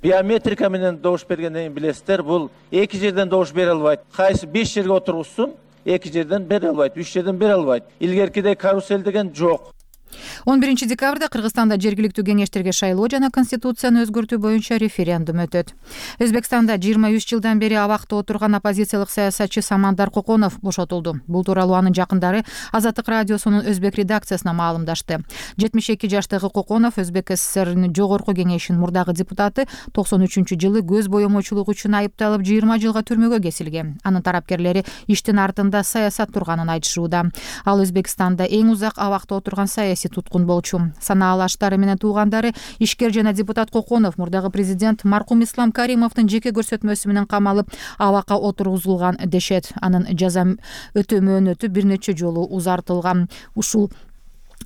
Биометрика менен добуш бергенден билесиздер, бул 2 жерден добуш бере албайт. Кайсы 5 жерге отургузсун, 2 жерден бере албайт, 3 жерден бере албайт. Илгеркидей карусель деген жок. 11 декабрда Кыргызстанда жергиликтүү кеңештерге шайлоо жана конституцияны өзгөртүү боюнча референдум өтөт. Өзбекстанда 23 жылдан бери абакта отурган оппозициялык саясатчы Самандар Коконов бошотулду. Бул тууралуу анын жакындары Азаттык радиосунун өзбек редакциясына маалымдашты. 72 жаштагы Коконов Өзбек ССРнин жогорку кеңешинин мурдагы депутаты 93-жылы көз боемочулук үчүн айыпталып 20 жылга түрмөгө кесилген. Анын тарапкерлери иштин артында саясат турганын айтышууда. Ал Өзбекстанда эң узак абакта отурган саясий туткун болчу. Санаалы аштары менен туугандары ишкер жана депутат Коконов мурдагы президент маркум Ислам Каримовдун жеке көрсөтмөсү менен камалып абакка отургузулган дешет. Анын жаза өтөө мөөнөтү бир нече жолу узартылган. Ушул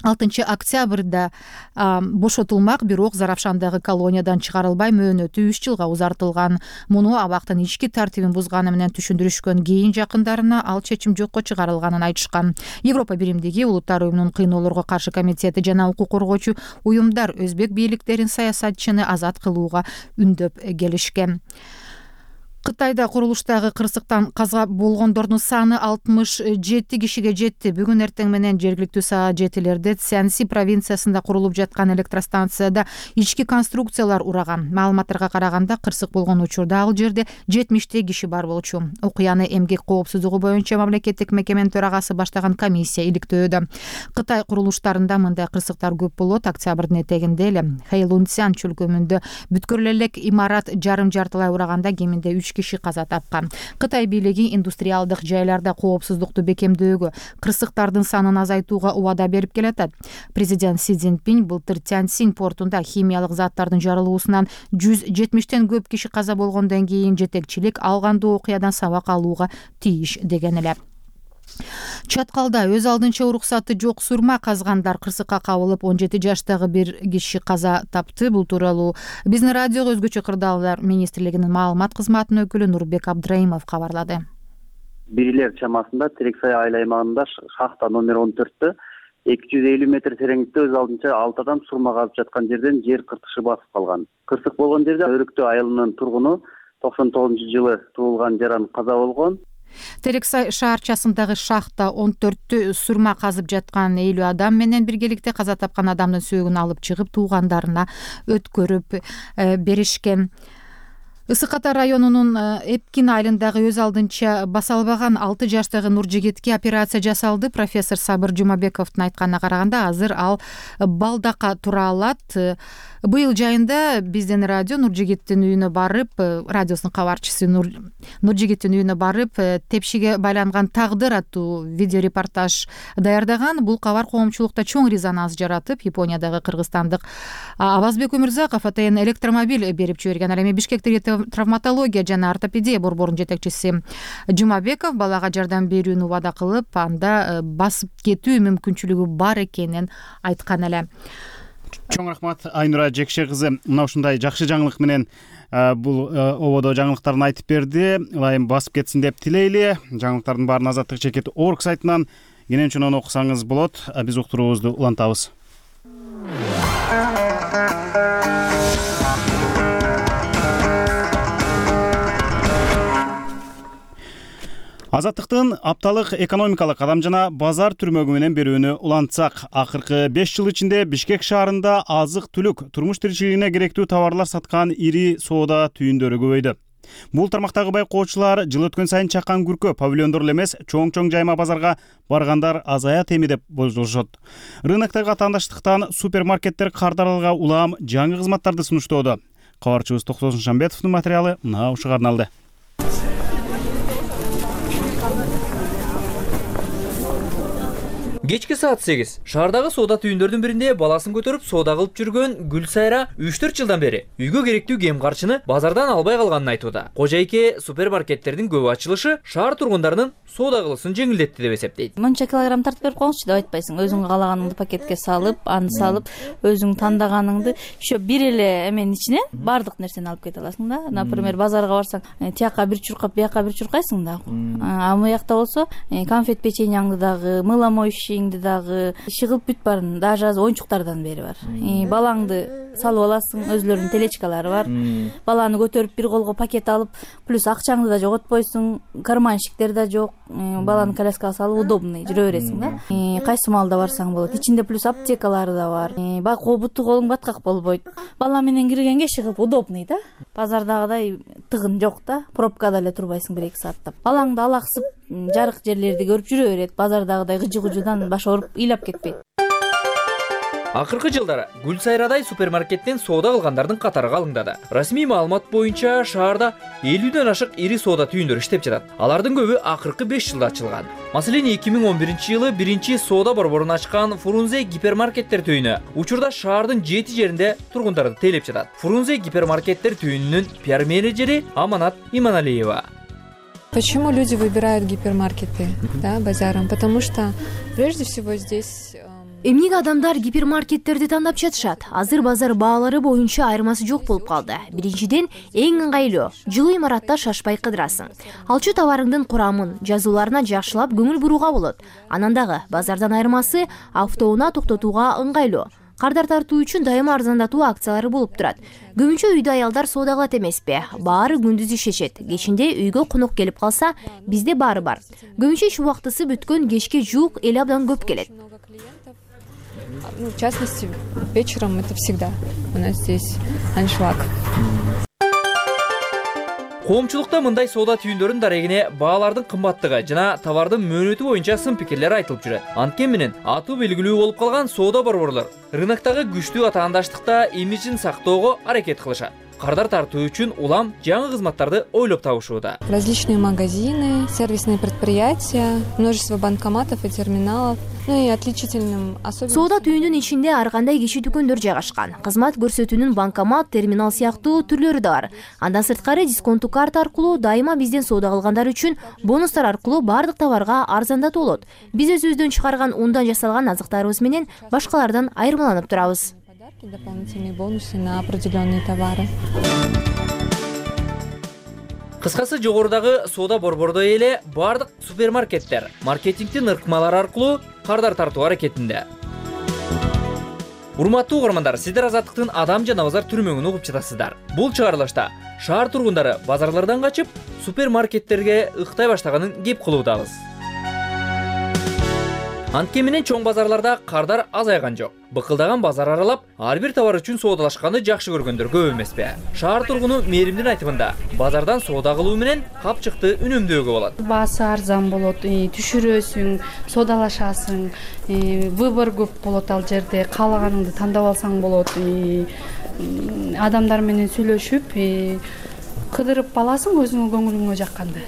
6 октябрда бошотулмак, бирок Заравшандагы колониядан чыгарылбай мөөнөтү 3 жылга узартылган. Муну абактын ички тартибин бузганы менен түшүндүрүшкөн. Кийин жакындарына ал чечим жокко чыгарылганын айтышкан. Европа биримдиги Улуттар уюмунун кыйноолорго каршы комитети жана укук коргоочу уюмдар өзбек бийликтерин саясатчыны азат кылууга үндөп келишкен. Кытайда курулуштагы кырсыктан каза болгондордун саны 67 кишиге жетти. Бүгүн эртең менен жергиликтүү саат 7-лерде Цзянси провинциясында курулуп жаткан электростанцияда ички конструкциялар ураган. Маалыматтарга караганда, кырсык болгон учурда ал жерде 70 киши бар болчу. Окуяны эмгек коопсуздугу боюнча мамлекеттик мекеменин төрагасы баштаган комиссия иликтөөдө. Кытай курулуштарында мындай кырсыктар көп болот. Октябрдын этегинде эле Хэйлунцзян чөлкөмүндө бүткүл элек имарат жарым жартылай ураганда кеминде 3 киши каза тапкан. Кытай бийлиги индустриалдык жайларда коопсуздукту бекемдөөгө, кырсыктардын санын азайтууга убада берип келатат. Президент Си Цзиньпин былтыр Тяньсинь портунда химиялык заттардын жарылуусунан 170тен көп киши каза болгондон кийин жетекчилик алгандуу окуядан сабак алууга тийиш деген эле. Чаткалда өз алдынча уруксаты жок сурма казгандар кырсыкка кабылып 17 жаштагы бир киши каза тапты. Бул тууралуу биздин радиого өзгөчө кырдаалдар министрлигинин маалымат кызматынын өкүлү Нурбек Абдраимов кабарлады. Бирилер чамасында Терексай айыл аймагында шахта номер 14-тө 250 метр тереңдикте өз алдынча 6 адам сурма казып жаткан жерден жер кыртышы басып калган. Кырсык болгон жерде Өрүктө айылынын тургуну 99-жылы туулган жаран каза болгон. Терексай шаарчасындагы шахта 14-тө сурма казып жаткан 50 адам менен биргеликте каза тапкан адамдын сөөгүн алып чыгып туугандарына өткөрүп беришкен. Ысык Ата районунун Эпкин айылындагы өз алдынча баса албаган 6 жаштагы Нуржигитке операция жасалды. Профессор Сабыр Жумабековдун айтканына караганда, азыр ал балдака тура алат. Быйыл жайында биздин радио Нуржигиттин үйүнө барып, радиосунун кабарчысы Нуржигиттин үйүнө барып, тепшиге байланган тагдыр аттуу видеорепортаж даярдаган. Бул кабар коомчулукта чоң резонанс жаратып, Япониядагы кыргызстандык Абазбек Өмүрзаков АТН электромобиль берип жиберген. Ал эми Бишкектеги травматология жана ортопедия борборунун жетекчиси Жумабеков балага жардам берүүнү убада кылып, анда басып кетүү мүмкүнчүлүгү бар экенин айткан эле. Чоң рахмат Айнура Жекше кызы. Мына ушундай жакшы жаңылык менен бул ободо жаңылыктарын айтып берди. Ылайым басып кетсин деп тилейли. Жаңылыктардын баарын Азаттык чекит орг сайтынан кенен чонон окусаңыз болот. Биз уктуруубузду улантабыз. Азаттыктын апталык экономикалык кадам жана базар түрмөгү менен берүүнү улантсак, акыркы 5 жыл ичинде Бишкек шаарында азык-түлүк, турмуш тиричилигине керектүү товарлар саткан ири соода түйүндөрү көбөйдү. Бул тармактагы байкоочулар жыл өткөн сайын чакан күркө павильондор эле эмес, чоң жайма базарга баргандар азаят эми деп болжолушот. Рыноктогу атаандаштыктан супермаркеттер кардаралга улам жаңы кызматтарды сунуштоодо. Кабарчыбыз Токтосун Шамбетовдун материалы мына ушуга арналды. Кечки саат 8. Шаардагы соода түйүндөрдүн биринде баласын көтөрүп соода кылып жүргөн Гүлсайра 3-4 жылдан бери үйгө керектүү кем карчыны базардан албай калганын айтууда. Кожайке супермаркеттердин көп ачылышы шаар тургундарынын соода кылысын жеңилдетти деп эсептейт. Мынча килограмм тартып берип коюңузчу деп айтпайсың. Өзүң каалаганыңды пакетке салып, аны салып, өзүң тандаганыңды ошо бир эле эменин ичинен бардык нерсени алып кете аласың да. Например, базарга барсаң, тияка бир чуркап, бияка бир чуркайсың да. А мыякта болсо, конфет печеньяңды дагы, мыломоющийиңди дагы, шыгылып бүт барын, даже азыр оюнчуктардан бери бар. Балаңды салып аласың, өзлөрүнүн телечкалары бар. Баланы көтөрүп бир колго пакет алып, плюс акчаңды да жоготпойсуң, карманщиктер да жок. Баланы коляскага салып удобный жүрө бересиң да. Кайсы маалда барсаң болот. Ичинде плюс аптекалары да бар. Буту колуң баткак болбойт. Бала менен киргенге шыгып удобный да. Базардагыдай тыгын жок да. Пробкада эле турбайсың 1-2 сааттап. Балаңды алаксып, жарык жерлерди көрүп жүрө берет. Базардагыдай гыжы-гыжыдан баш ооруп, ыйлап кетпейт. Акыркы жылдары Гүлсайрадай супермаркеттен соода кылгандардын катары калыңдады. Расмий маалымат боюнча шаарда 50ден ашык ири соода түйүндөр иштеп жатат. Алардын көбү акыркы 5 жылда ачылган. Маселен, 2011-жылы биринчи соода борборун ачкан Фрунзе гипермаркеттер түйүнү учурда шаардын 7 жеринде тургундарды тейлеп жатат. Фрунзе гипермаркеттер түйүнүнүн пиар-менеджери Аманат Иманалиева. Почему люди выбирают гипермаркеты, да, базаром? Потому что прежде всего здесь Эмнеге адамдар гипермаркеттерди тандап жатышат? Азыр базар баалары боюнча айырмасы жок болуп калды. Биринчиден, эң ыңгайлуу, жылуу имаратта шашпай кыдырасың. Алчу товарыңдын курамын, жазууларына жакшылап көңүл бурууга болот. Анан дагы базардан айырмасы автоунаа токтотууга ыңгайлуу. Кардар тартуу үчүн дайыма арзандатуу акциялары болуп турат. Көбүнчө үйдө аялдар соода кылат эмеспи? Баары күндүз ишешет. Кечинде үйгө конок келип калса, бизде баары бар. Көбүнчө иш убактысы бүткөн кечке жуук эл абдан көп келет. В частности, вечером это всегда у нас здесь аншлаг. Коомчулукта мындай соода түйүндөрүнүн дарегине баалардын кымбаттыгы жана товардын мөөнөтү боюнча сын пикирлер айтылып жүрөт. Анткени менен атуу белгилүү болуп калган соода борборлор рыноктогу күчтүү атаандаштыкта имиджин сактоого аракет кылышат. кардар тартуу үчүн улам жаңы кызматтарды ойлоп табышууда. Различные магазины, сервисные предприятия, множество банкоматов и терминалов. Ну и отличительным особенностью... Соода түйүнүн ичинде ар кандай кичи дүкөндөр жайгашкан. Кызмат көрсөтүүнүн банкомат, терминал сыяктуу түрлөрү да бар. Андан сырткары дисконттуу карта аркылуу дайыма бизден соода кылгандар үчүн бонустар аркылуу баардык товарга арзандатуу болот. Биз өзүбүздөн чыгарган ундан жасалган азыктарыбыз менен башкалардан айырмаланып турабыз. Дополнительные бонусы на определенные товары. Кыскасы, жогорудагы соода борбордой эле бардык супермаркеттер маркетингдин ыркмалары аркылуу кардар тартуу аракетинде. Урматтуу угармандар, сиздер Азаттыктын адам жана базар түрмөгүн угуп жатасыздар. Бул чыгарылышта шаар тургундары базарлардан качып супермаркеттерге ыктай баштаганын кеп кылуудабыз. Анткени менен чоң базарларда кардар азайган жок. Быкылдаган базар аралап, ар бир товар үчүн соодалашканды жакшы көргөндөр көп эмеспи? Шаар тургуну Мээримдин айтымында, базардан соода кылуу менен капчыкты үнөмдөөгө болот. Баасы арзан болот, түшүрөсүң, соодалашасың, выбор көп болот ал жерде, каалаганыңды тандап алсаң болот. Адамдар менен сүйлөшүп, кыдырып аласың өзүңө көңүлүңө жакканды.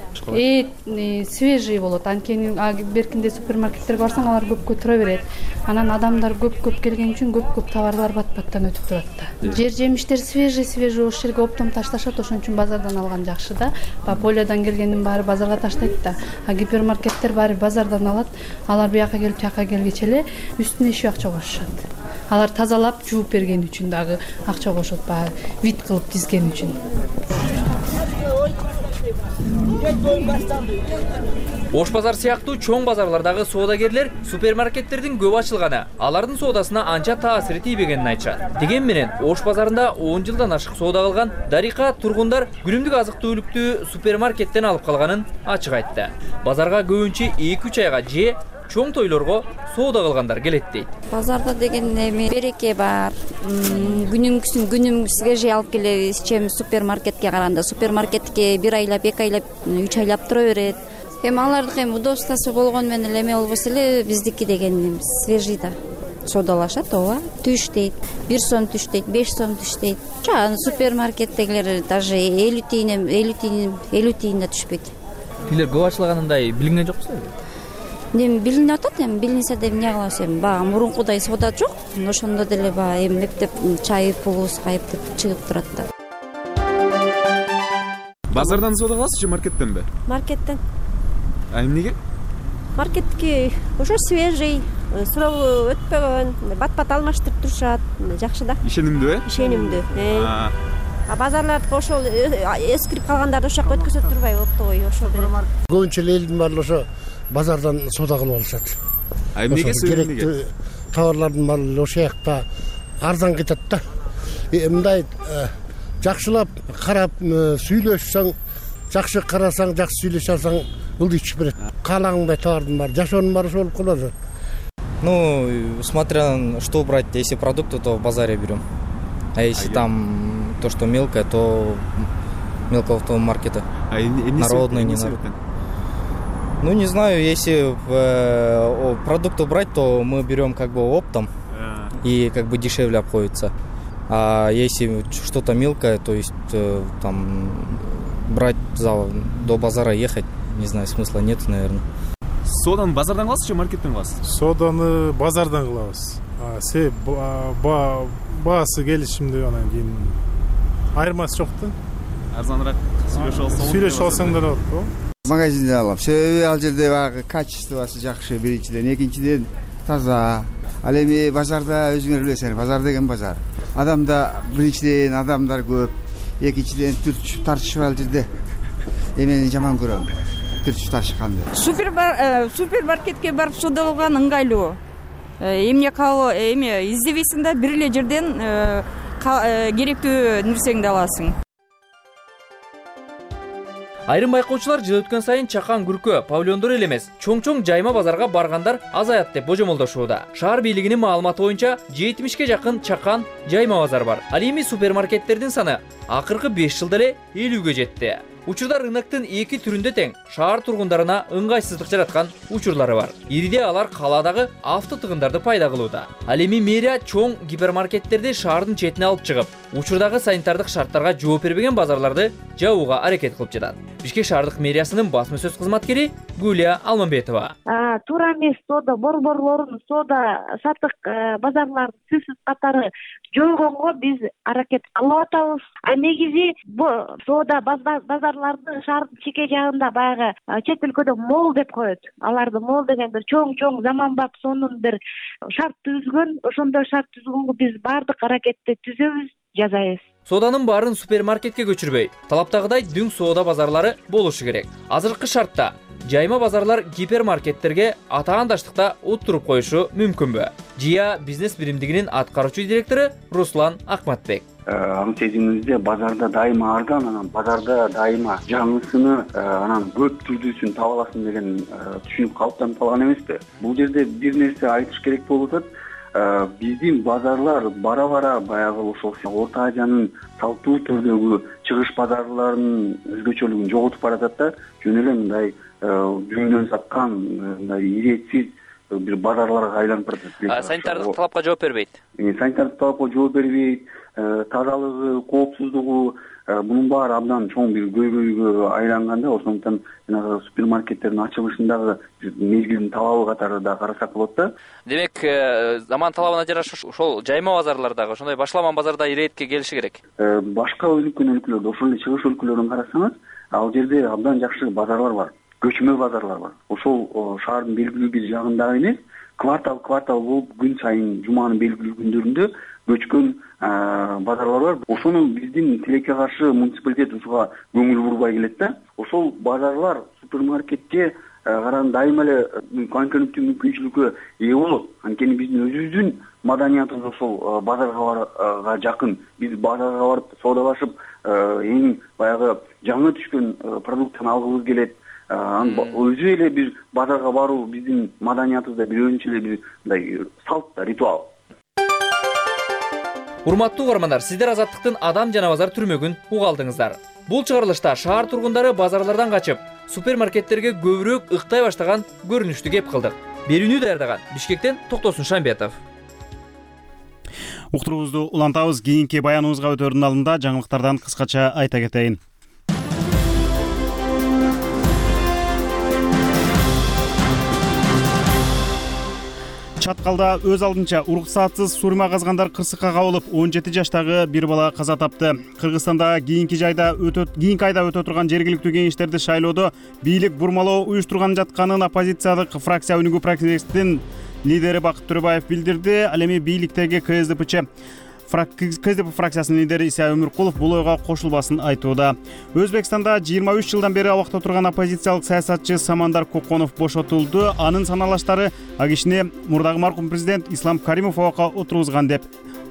Свежий болот. Анткени беркинде супермаркеттерге барсаң, алар көпкө тура берет. Анан адамдар көп келген үчүн көп товарлар бат-баттан өтүп турат да. Жер жемиштер свежий ошол жерге оптом ташташат, ошон үчүн базардан алган жакшы да. Полиядан келгендин баары базарга таштайт да. Гипермаркеттер баары базардан алат. Алар бияка келип, жака келгече эле үстүнө иши акча кошушат. Алар тазалап, жууп берген үчүн дагы акча кошот, вид кылып тизген үчүн. Ош базар сыяктуу чоң базарлардагы соодагерлер супермаркеттердин көп ачылганы алардын соодасына анча таасири тийбегенин айтышат. Деген менен Ош базарында 10 жылдан ашык соода кылган Дарика тургундар күнүмдүк азык-түлүктү супермаркеттен алып калганын ачык айтты. Базарга көбүнчө 2-3 айга же чоң тойлорго соода кылгандар келет дейт. Базарда деген эми береке бар. Күнүмгүсүн свежий алып келебиз, чем супермаркетке караганда. Супермаркетке 1 айлап, 2 айлап, 3 айлап тура берет. Эми алардыкы удобствосу болгон менен эме болбосо эле биздики деген свежий да. Соодалашат, ооба. Түштейт, 1 сом түштейт, 5 сом түштейт. Жана супермаркеттегилер даже 50 тиын да түшпөйт. Тилер көп ачылганындай билинген жоксузбу? Эми билинип атат, эми билинсе деп эмне кылабыз, эми баягы мурункудай соода жок. Ошондо деле баягы мектеп чай пулубуз кайып деп чыгып турат да. Базардан соода кыласызбы, маркеттенби? Маркеттен. Эмнеге? Маркеттики ошо свежий, суроо өтпөгөн, бат-бат алмаштырып турушат, жакшы да. Ишенимдүү, Ишенимдүү. Базарлардыкы ошол эскирип калгандарды ошол жака өткөзө турбайбы, оптовый ошол. Көбүнчө элдин баары ошо базардан соода кылып алышат. Эмнеге керектүү товарлардын баары ошол жакта арзан кетет да. Мындай жакшылап карап сүйлөшсөң, жакшы карасаң, жакшы сүйлөшө алсаң, ылдый түшүп берет. Каалагандай товардын баары, жашоонун баары ошол болуп калат. Ну, смотря что брать, если продукты, то в базаре берем. А если там то, что мелкое, то мелкого маркета. Народные, не народные. Ну, не знаю, если продукты брать, то мы берем как бы оптом и как бы дешевле обходится. А если что-то мелкое, то есть там брать до базара ехать, не знаю, смысла нет, наверное. Сооданы базардан кыласыз же маркеттен кыласыз? Сооданы базардан кылабыз. Себеп баасы келишимдүү, анан кийин айырмасы жок да. Арзаныраак сүйлөшүп алсаң да болот го. Магазинден алам. Себеби ал жерде баягы качествосы жакшы, биринчиден, экинчиден таза. Ал эми базарда өзүңөр билесиңер, базар деген базар. Адамда биринчиден адамдар көп, экинчиден түртүшүп тартышып ал жерде. Эмени жаман көрөм. Түртүшүп тартышканды. Супермаркетке барып соода кылган ыңгайлуу. Эмне издебейсиң да, бир эле жерден керектүү нерсеңди аласың. Айрым байкоочулар жыл өткөн сайын чакан күркө, павильондор эле эмес, чоң-чоң жайма базарга баргандар азаят деп божомолдошууда. Шаар бийлигинин маалыматы боюнча 70ке жакын чакан жайма базар бар. Ал эми супермаркеттердин саны акыркы 5 жылда эле 50ге жетти. Учурда рыноктун эки түрүндө тең шаар тургундарына ыңгайсыздык жараткан учурлары бар. Ириде алар калаадагы автотыгындарды пайда кылууда. Ал эми мэрия чоң гипермаркеттерди шаардын четине алып чыгып, учурдагы санитардык шарттарга жооп бербеген базарларды жабууга аракет кылып жатат. Бишкек шаардык мэриясынын басма сөз кызматкери Гүлия Алмамбетова. Туура эмес соода борборлорун, соода сатык базарлардын сөзсүз катары жойгонго биз аракет кылып атабыз. Негизи соода базарларды шаардын чеке жагында баягы чет өлкөдө мол деп коет. Аларды мол деген бир чоң заманбап сонун бир шарт түзгөн. Ошондой шарт түзгөнгө биз баардык аракетти түзөбүз, жасайбыз. Сооданын баарын супермаркетке көчүрбөй, талаптагыдай дүң соода базарлары болушу керек. Азыркы шартта жайма базарлар гипермаркеттерге атаандаштыкта уттуруп коюшу мүмкүнбү? ЖИА бизнес биримдигинин аткаруучу директору Руслан Акматбек. Аң сезимибизде базарда дайыма арзан, анан базарда дайыма жаңысыны, анан көп түрдүүсүн таба аласың деген түшүнүк калыптанып калган эмеспи? Бул жерде бир нерсе айтыш керек болуп атат. Биздин базарлар бара баягы ошол Орто Азиянын салттуу түрдөгү чыгыш базарларынын өзгөчөлүгүн жоготуп баратат да, жөн эле мындай жүндөн саткан, мындай иретсиз бир базарларга айланып баратат. Санитардык талапка жооп бербейт. Санитардык талапка жооп бербейт, тазалыгы, коопсуздугу мунун баары абдан чоң бир көйгөйгө айланганда, ошондуктан жанагы супермаркеттердин ачылышындагы мезгилдин талабы катары да карасак болот да. Демек, заман талабына жараша ошол жайма базарлардагы, ошондой башламан базарда иретке келиши керек. Башка өнүккөн өлкөлөрдө, ошол эле чыгыш өлкөлөрүн карасаңыз, ал жерде абдан жакшы базарлар бар, көчмө базарлар бар. Ошол шаардын белгилүү бир жагында эмес, квартал болуп күн сайын жуманын белгилүү күндөрүндө көчкөн базарлар бар. Ошону биздин тилекке каршы муниципалитет ушуга көңүл бурбай келет да. Ошол базарлар супермаркетке караганда дайыма эле конкуренттүү мүмкүнчүлүккө ээ болот. Анткени биздин өзүбүздүн маданиятыбыз ошол базарга жакын. Биз базарга барып соодалашып, эң баягы жаңы түшкөн продуктаны алгыбыз келет. Өзү эле бир базарга баруу биздин маданиятыбызда бир өзүнчө эле бир мындай салт, ритуал. Урматтуу угармандар, сиздер Азаттыктын адам жана базар түрмөгүн уга алдыңыздар. Бул чыгарылышта шаар тургундары базарлардан качып, супермаркеттерге көбүрөөк ыктай баштаган көрүнүштү кеп кылдык. Берүүнү даярдаган Бишкектен Токтосун Шамбетов. Уктуруубузду улантабыз. Кийинки баяныбызга өтөрдүн алдында жаңылыктардан кыскача айта кетейин. Чаткалда өз алдынча уруксатсыз сурма казгандар кырсыкка кабылып, 17 жаштагы бир бала каза тапты. Кыргызстанда кийинки айда өтө турган жергиликтүү кеңештерди шайлоодо бийлик бурмалоо уюштурган жатканын оппозициялык фракция Өнүгүү партиясынын лидери Бакыт Төрөбаев билдирди. Ал эми бийликтеги КСДП фракциясынын лидери Исай Өмүркулов бул ойго кошулбасын айтууда. Өзбекстанда 23 жылдан бери абакта турган оппозициялык саясатчы Самандар Коконов бошотулду. Анын саналаштары ал кишини мурдагы маркум президент Ислам Каримов абакка отургузган деп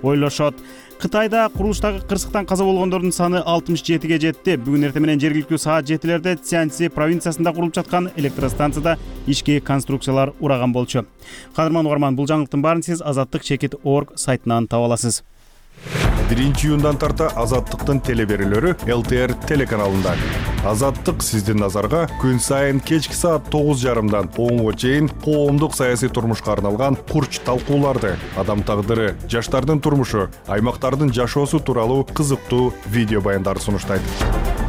ойлошот. Кытайда курулуштагы кырсыктан каза болгондордун саны 67ге жетти. Бүгүн эртең менен жергиликтүү саат 7-лерде Цзянси провинциясында курулуп жаткан электростанцияда ички конструкциялар ураган болчу. Кадырман угарман, бул жаңылыктын баарын сиз azattik.org сайтынан таба аласыз. 1-июндан тарта Азаттыктын телеберүүлөрү ЛТР телеканалында. Азаттык сиздин назарга күн сайын кечки саат 9:30дан 10-го чейин коомдук саясий турмушка арналган курч талкууларды, адам тагдыры, жаштардын турмушу, аймактардын жашоосу тууралуу кызыктуу видео баяндарды сунуштайт.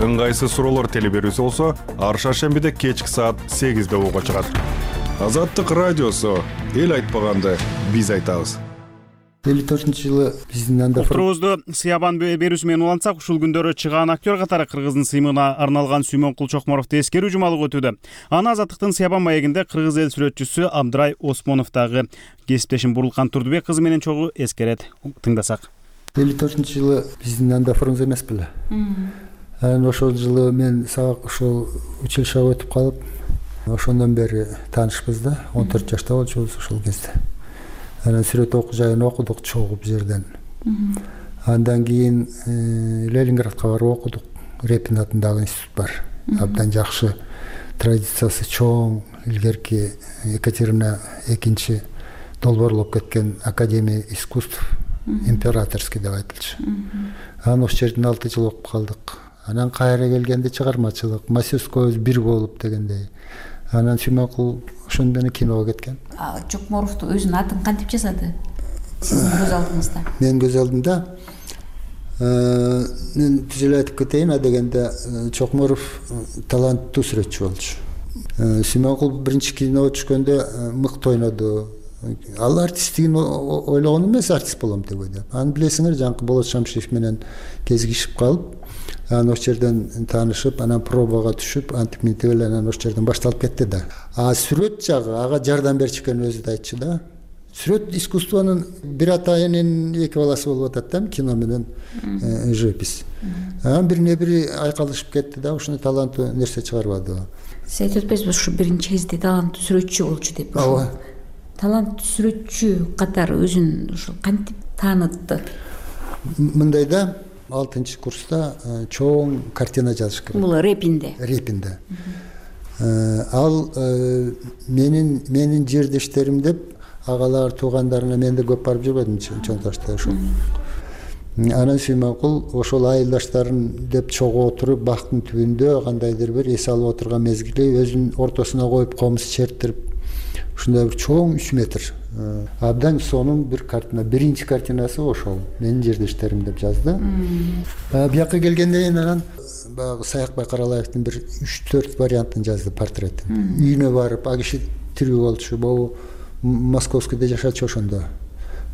Ыңгайсыз суроолор телеберүүсү болсо, ар шаршембиде кечки саат 8-де угууга чыгат. Азаттык радиосу, эл айтпаганды биз айтабыз. 54-жылы биздин анда уктуруубузду Сыябан берүүсү менен улантсак, ушул күндөрү чыгаан актер катары кыргыздын сыймыгына арналган Сүймөнкул Чокморовду эскерүү жумалыгы өтүүдө. Аны Азаттыктын Сыябан маегинде кыргыз эл сүрөтчүсү Абдрай Осмоновдагы кесиптешим Бурулкан Турдубек кызы менен чогуу эскерет. Тыңдасак. 54-жылы биздин анда фрунзе эмес беле. Анан ошол жылы мен сабак ошол училищеге өтүп калып, ошондон бери таанышпыз да. 14 жашта болчубуз ошол кезде. Анан сүрөт окуу жайын окудук чогуу бул жерден. Андан кийин Ленинградка барып окудук. Репин атындагы институт бар. Абдан жакшы, традициясы чоң, илгерки Екатерина II долбоорлоп кеткен Академия искусств, императорский деп айтылчу. Анан ошол жерден 6 жыл окуп калдык. анан кайра келгенде чыгармачылык мастерскойбуз бир болуп дегендей. Анан Сүймөнкул ошондон эле киного кеткен. Чокморовду өзүнүн атын кантип жасады? Сиздин көз алдыңызда? Менин көз алдымда мен түз эле айтып кетейин, дегенде Чокморов таланттуу сүрөтчү болчу. Сүймөнкул биринчи киного түшкөндө мыкты ойноду. Ал артисттигин ойлогон эмес, артист болом деп ойлойт. Аны билесиңер, жанкы Болот Шамшиев менен кезигишип калып, анан ошол жерден таанышып, анан пробага түшүп, антип минтип эле анан ошол жерден башталып кетти да. Сүрөт жагы ага жардам берчү экенин өзү да айтчу да. Сүрөт искусствонун бир атайынын эки баласы болуп атат да, кино менен живопись. Анан бирине бири айкалышып кетти да, ушуну таланттуу нерсе чыгарбады. Сиз айтып атпайсызбы, ушу биринчи кезде таланттуу сүрөтчү болчу деп? Ооба. Таланттуу сүрөтчү катары өзүн ушул кантип таанытты? Мындай да, 6-курста чоң картина жазыш керек. Бул Репинде. Репинде. Ал менин жердештерим деп агалар туугандарына мен да көп барып жүрбөдүм чоң ташта ошол. Анан Сүймөнкул ошол айылдаштарын деп чогуу отуруп бактын түбүндө кандайдыр бир эс алып отурган мезгили өзүнүн ортосуна коюп комуз чертирип ушундай бир чоң 3 метр абдан сонун бир картина. Биринчи картинасы ошол. Менин жердештерим деп жазды. Бияка келгенден кийин анан баягы Саякбай Каралаевдин бир 3-4 вариантын жазды, портретин. Үйүнө барып, а киши тирүү болчу, могу Московскийде жашачу ошондо.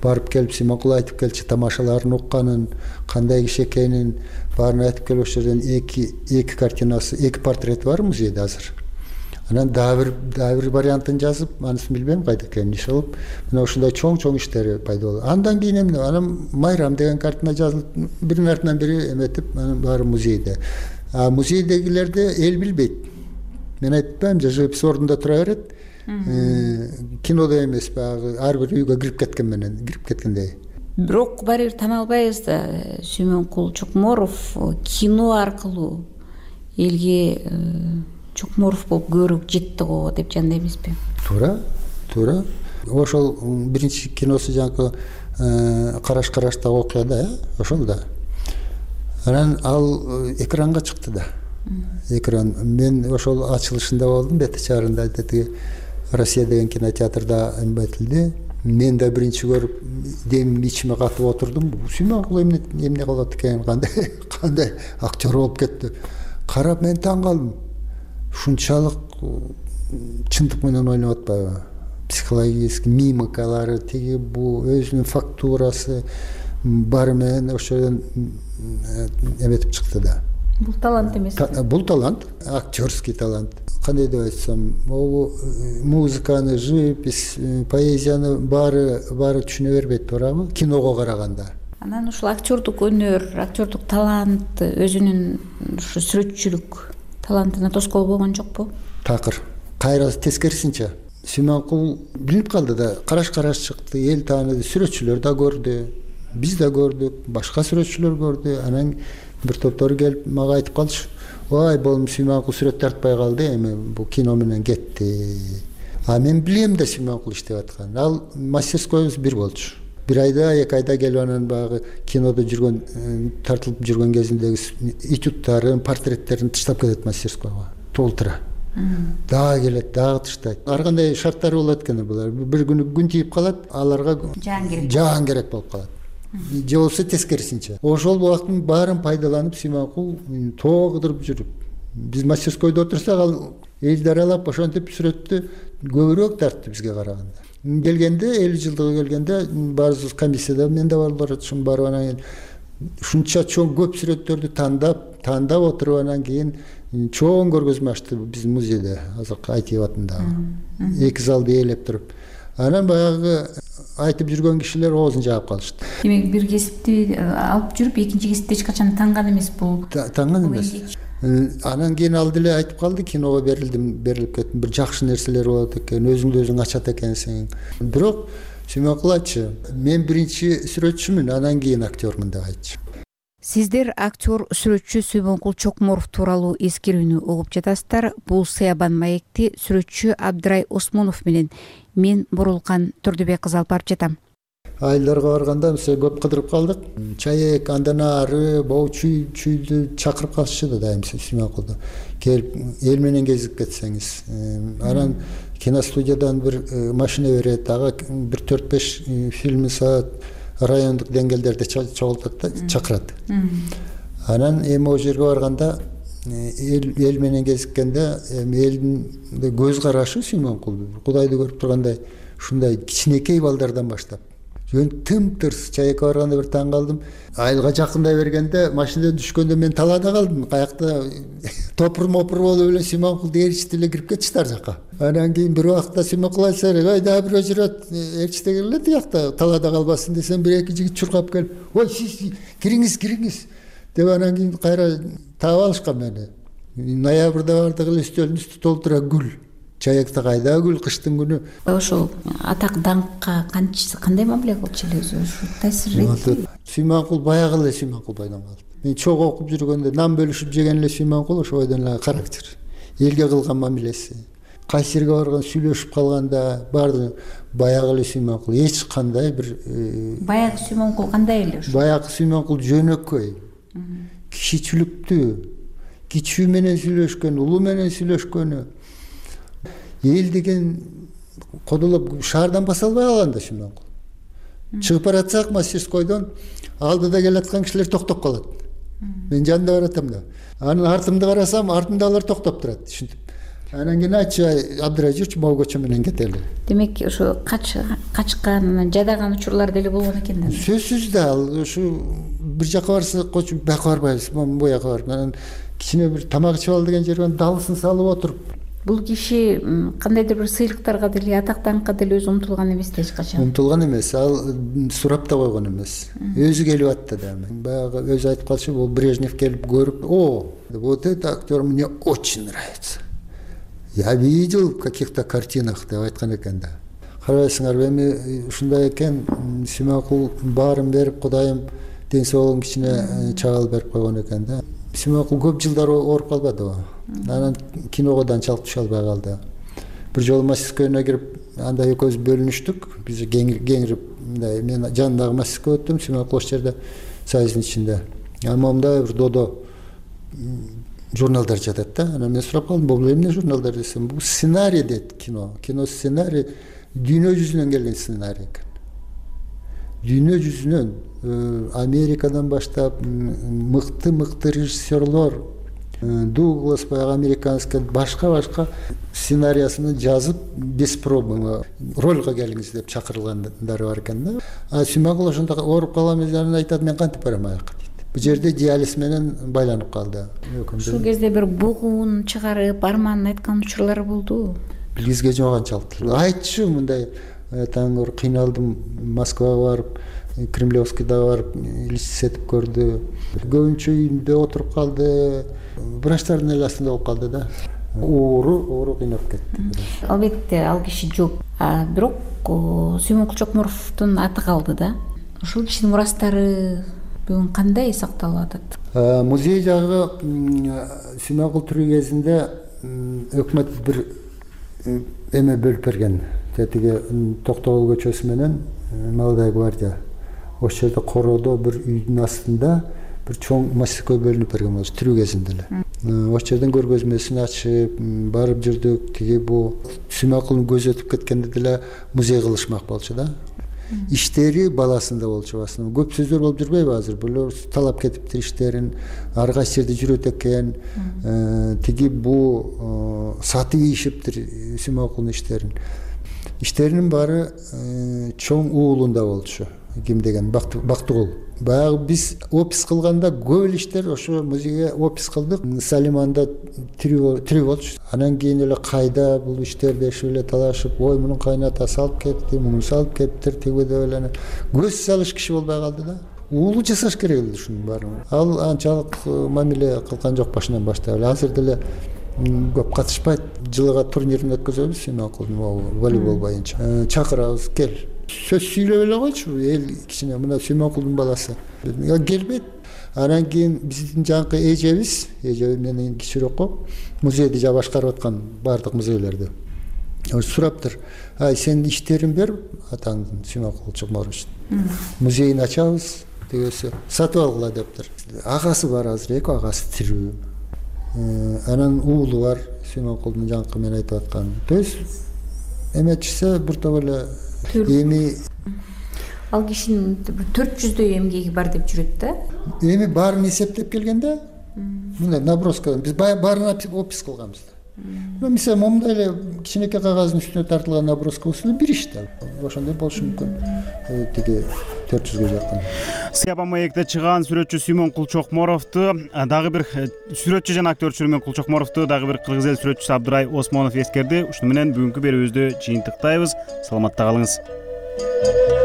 Барып келип Сүймөнкул айтып келчү, тамашаларын укканын, кандай киши экенин баарын айтып келип ошол жерден эки картинасы, эки портрети бар музейде азыр. Анан дагы бир вариантын жазып, анысын билбейм кайда экенин иш алып, мына ушундай чоң иштери пайда болду. Андан кийин анан Майрам деген картина жазылып, биринин артынан бири эметип, анан баары музейде. Музейдегилерди эл билбейт. Мен айтпайм, живопись ордунда тура берет. Кинодо эмес, баягы ар бир үйгө кирип кеткендей. Бирок баары бир тана албайбыз да, Сүймөнкул Чокморов кино аркылуу элге Чокморов болуп көбүрөөк жетти го деп жанда эмеспи? Туура. Ошол биринчи киносу жанагы караштагы окуя да, ошол да. Анан ал экранга чыкты да. Экран. Мен ошол ачылышында болдум, бети чарында тиги Россия деген кинотеатрда эмбетилди. Мен да биринчи көрүп, демим ичиме катып отурдум. Сүймөнкул эмне кылат экен, кандай актер болуп кетти. Карап мен таң калдым. Ушунчалык чындык менен ойноп атпайбы? Психологический мимикалары, тиги бу өзүнүн фактурасы баары менен ошодон эметип чыкты да. Бул талант эмес. Бул талант, актерский талант. Кандай деп айтсам, музыканы, живопись, поэзияны баары түшүнө бербейт, туурабы? Киного караганда. Анан ушул актердук өнөр, актердук талант өзүнүн ушу сүрөтчүлүк талантына тоскоол болгон жокпу? Такыр. Кайра тескерисинче. Сүймөнкул билип калды да, караш чыкты, эл тааныды, сүрөтчүлөр да көрдү, биз да көрдүк, башка сүрөтчүлөр көрдү. Анан бир топтору келип мага айтып калчу. Ой, болум Сүймөнкул сүрөт тартпай калды, эми бул кино менен кетти. Мен билем да Сүймөнкул иштеп атканын. Ал мастерскойбуз бир болчу. Бир айда, 2 айда келип анан баягы кинодо жүргөн, тартылып жүргөн кезиндеги этюдтарын, портреттерин таштап кетет мастерскойго. Толтура. Дагы келет, дагы таштайт. Ар кандай шарттары болот экен булар. Бир күнү күн тийип калат, аларга жаан керек болуп калат. Же болбосо тескерисинче. Ошол убакыттын баарын пайдаланып Сүймөнкул тоо кыдырып жүрүп. Биз мастерскойдо отурсак, ал элди аралап ошентип сүрөттү көбүрөөк тартты бизге караганда. Келгенде, 50 жылдыгы келгенде баарыбыз комиссияда мен да бар ушун барып анан кийин ушунча чоң көп сүрөттөрдү тандап отуруп анан кийин чоң көргөзмө ачты биздин музейде, азыркы Айтиев атындагы. 2 залды ээлеп туруп. Анан баягы айтып жүргөн кишилер оозун жаап калышты. Демек бир кесипти алып жүрүп, экинчи кесипти эч качан танган эмес бул. Танган эмес. Анан кийин ал деле айтып калды, киного берилип кеттим, бир жакшы нерселер болот экен, өзүңдү өзүң ачат экенсиң. Бирок Сүймөнкул айтчы, мен биринчи сүрөтчүмүн, анан кийин актермун деп айтчы. Сиздер актер сүрөтчү Сүймөнкул Чокморов тууралуу эскерүүнү угуп жатасыздар. Бул Сыябан маекти сүрөтчү Абдрай Осмонов менен мен Бурулкан Турдубек кызы алып барып жатам. айылдарга барганда мисалы көп кыдырып калдык. Чаек, андан ары могу чүйдү чакырып калышчу да дайым Сүймөнкулду. Келип эл менен кезип кетсеңиз. Анан киностудиядан бир машина берет, ага бир 4-5 фильм саат райондук деңгээлдерде чогултат да, чакырат. Анан эми о жерге барганда эл менен кезиккенде элдин көз карашы Сүймөнкул Кудайды көрүп тургандай ушундай кичинекей балдардан баштап жөн тым-тырс. Чаекке барганда бир таң калдым. Айылга жакындай бергенде машинадан түшкөндө мен талаада калдым. Каякта топур болуп эле Сүймөнкулду ээрчитип эле кирип кетишти ар жака. Анан кийин бир убакта Сүймөнкул айтса, "Ой, дагы бирөө жүрөт, ээрчите келе тиякта, талаада калбасын" десем, бир эки жигит чуркап келип, "Ой, сиз кириңиз" деп анан кийин кайра таап алышкан мени. Ноябрда бардык эле үстөлдүн үстү толтура гүл. Чаекте кайда гүл кыштын күнү. Ошол атак даңкка кандай мамиле кылчу эле өзү? Таасир этти? Сүймөнкул баягы эле Сүймөнкул бойдон калды. Мен чогуу окуп жүргөндө нан бөлүшүп жеген эле Сүймөнкул ошо бойдон эле характер. Элге кылган мамилеси. Кайсы жерге барган сүйлөшүп калганда баары баягы эле Сүймөнкул. Эч кандай бир баягы Сүймөнкул кандай эле ошо? Баягы Сүймөнкул жөнөкөй. Кичичиликтүү, кичүү менен сүйлөшкөн, улуу менен сүйлөшкөнү. Эл деген кодолоп шаардан баса албай калган да Сүймөнкул. Чыгып баратсак мастерскойдон алдыда келаткан кишилер токтоп калат. Мен жанында баратам да. Анын артымды карасам, артымда алар токтоп турат, түшүнүп. Анан кийин айтчу, Абдырай жүрчү, могу көчө менен кетели. Демек ошо качкан, жадаган учурлар деле болгон экен да. Сөзсүз да, ушу бир жака барса, кочу бияка барбайбыз, бу жака барып, анан кичине бир тамак ичип ал деген жерден далысын салып отуруп. Бул киши кандайдыр бир сыйлыктарга деле, атак даңкка деле өзү умтулган эмес да эч качан. Умтулган эмес, ал сурап да койгон эмес. Өзү келип атты да. Баягы өзү айтып калчу, бул Брежнев келип көрүп, вот этот актер мне очень нравится. Я видел в каких-то картинах деп айткан экен да. Карабайсыңарбы, эми ушундай экен, Сүймөнкул баарын берип, Кудайым ден соолугун кичине чагыл берип койгон экен да. Сүймөнкул көп жылдар ооруп калбадыбы? Анан киного да анчалык түшө албай калды. Бир жолу мастерскойуна кирип, анда экөөбүз бөлүнүштүк. Биз кеңирип, мындай мен жанындагы мастерской өттүм, Сүймөнкул ошол жерде сайыздын ичинде. Мындай бир додо журналдар жатат да. Анан мен сурап калдым, бул эмне журналдар десем, бул сценарий дейт кино. Кино сценарий дүйнө жүзүнөн келген сценарий экен. Дүйнө жүзүнөн Америкадан баштап мыкты режиссерлор, Дуглас, баягы американский, башка сценариясын жазып, без пробы ролго келиңиз деп чакырылгандары бар экен да. Сүймөнкул ошондо ооруп калган менен айтат, мен кантип барам аяка дейт. Бул жерде диализ менен байланып калды. Ушул кезде бир бугун чыгарып, арманын айткан учурлары болду. Билгизге жок анчалык. Айтчу мындай, таңыр кыйналдым, Москвага барып, Кремлевскийда барып листетип көрдү. Көбүнчө үйүндө отуруп калды. Врачтардын эле астында болуп калды да. Оору кыйнап кетти. Албетте ал киши жок. Бирок Сүймөнкул Чокмуровдун аты калды да. Ушул кишинин мурастары бүгүн кандай сакталып атат? Музей жагы Сүймөнкул тирүү кезинде өкмөт бир эме бөлүп берген. Тетиги Токтогул көчөсү менен Молодая гвардия. Ошол жерде короодо бир үйдүн астында бир чоң мастерской бөлүнүп берген болчу тирүү кезинде эле. Ошол жерден көргөзмөсүн ачып, барып жүрдүк. Тиги бул Сүймөнкулдун көзү өтүп кеткенде деле музей кылышмак болчу да. Иштери баласында болчу басына. Көп сөздөр болуп жүрбөйбү азыр? Бул талап кетиптир иштерин, ар кайсы жерде жүрөт экен. Тиги бул сатып ийишиптир Сүймөнкулдун иштерин. Иштеринин баары чоң уулунда болчу. Ким деген Бактыгул. Баягы биз опис кылганда көп эле иштер ошо музейге опис кылдык. Салиманда тирүү болчу. Анан кийин эле кайда бул иштер дешип эле талашып, ой мунун кайнатасы алып кетти, муну салып кетиптир, тиги деп эле көз салыш киши болбой калды да. Уулу жасаш керек эле ушунун баарын. Ал анчалык мамиле кылган жок башынан баштап. Азыр деле көп катышпайт. Жылыга турнирин өткөзөбүз Сүймөнкулдун волейбол боюнча. Чакырабыз, кел. Сөз сүйлөп эле койчу, эл кичине мына Сүймөнкулдун баласы. Келбейт. Анан кийин биздин жанкы эжебиз менен кичирөөк музейди жа башкарып аткан бардык музейлерди. сураптыр, сенин иштериң бер атаңдын Сүймөнкул Чокморович музейин ачабыз дегесе сатып алгыла дептир. Агасы бар, азыр эки агасы тирүү, анан уулу бар, Сүймөнкулдун жаңкы мен айтып аткан. То есть эметишсе бир топ эле эми ал кишинин 400дөй эмгеги бар деп жүрөт да. Эми баарын эсептеп келгенде мындай наброска биз баарын опис кылганбыз. Мисалы момундай эле кичинекей кагаздын үстүнө тартылган наброска болсо бир иш да. Ошондой болушу мүмкүн. Тиги 400ге жакын. Сыяба маекте чыган сүрөтчү Сүймөнкул Чокморовду, дагы бир сүрөтчү жана актер Сүймөнкул Чокморовду дагы бир кыргыз эл сүрөтчүсү Абдырай Осмонов эскерди. Ушуну менен бүгүнкү берүүбүздү жыйынтыктайбыз. Саламатта калыңыз.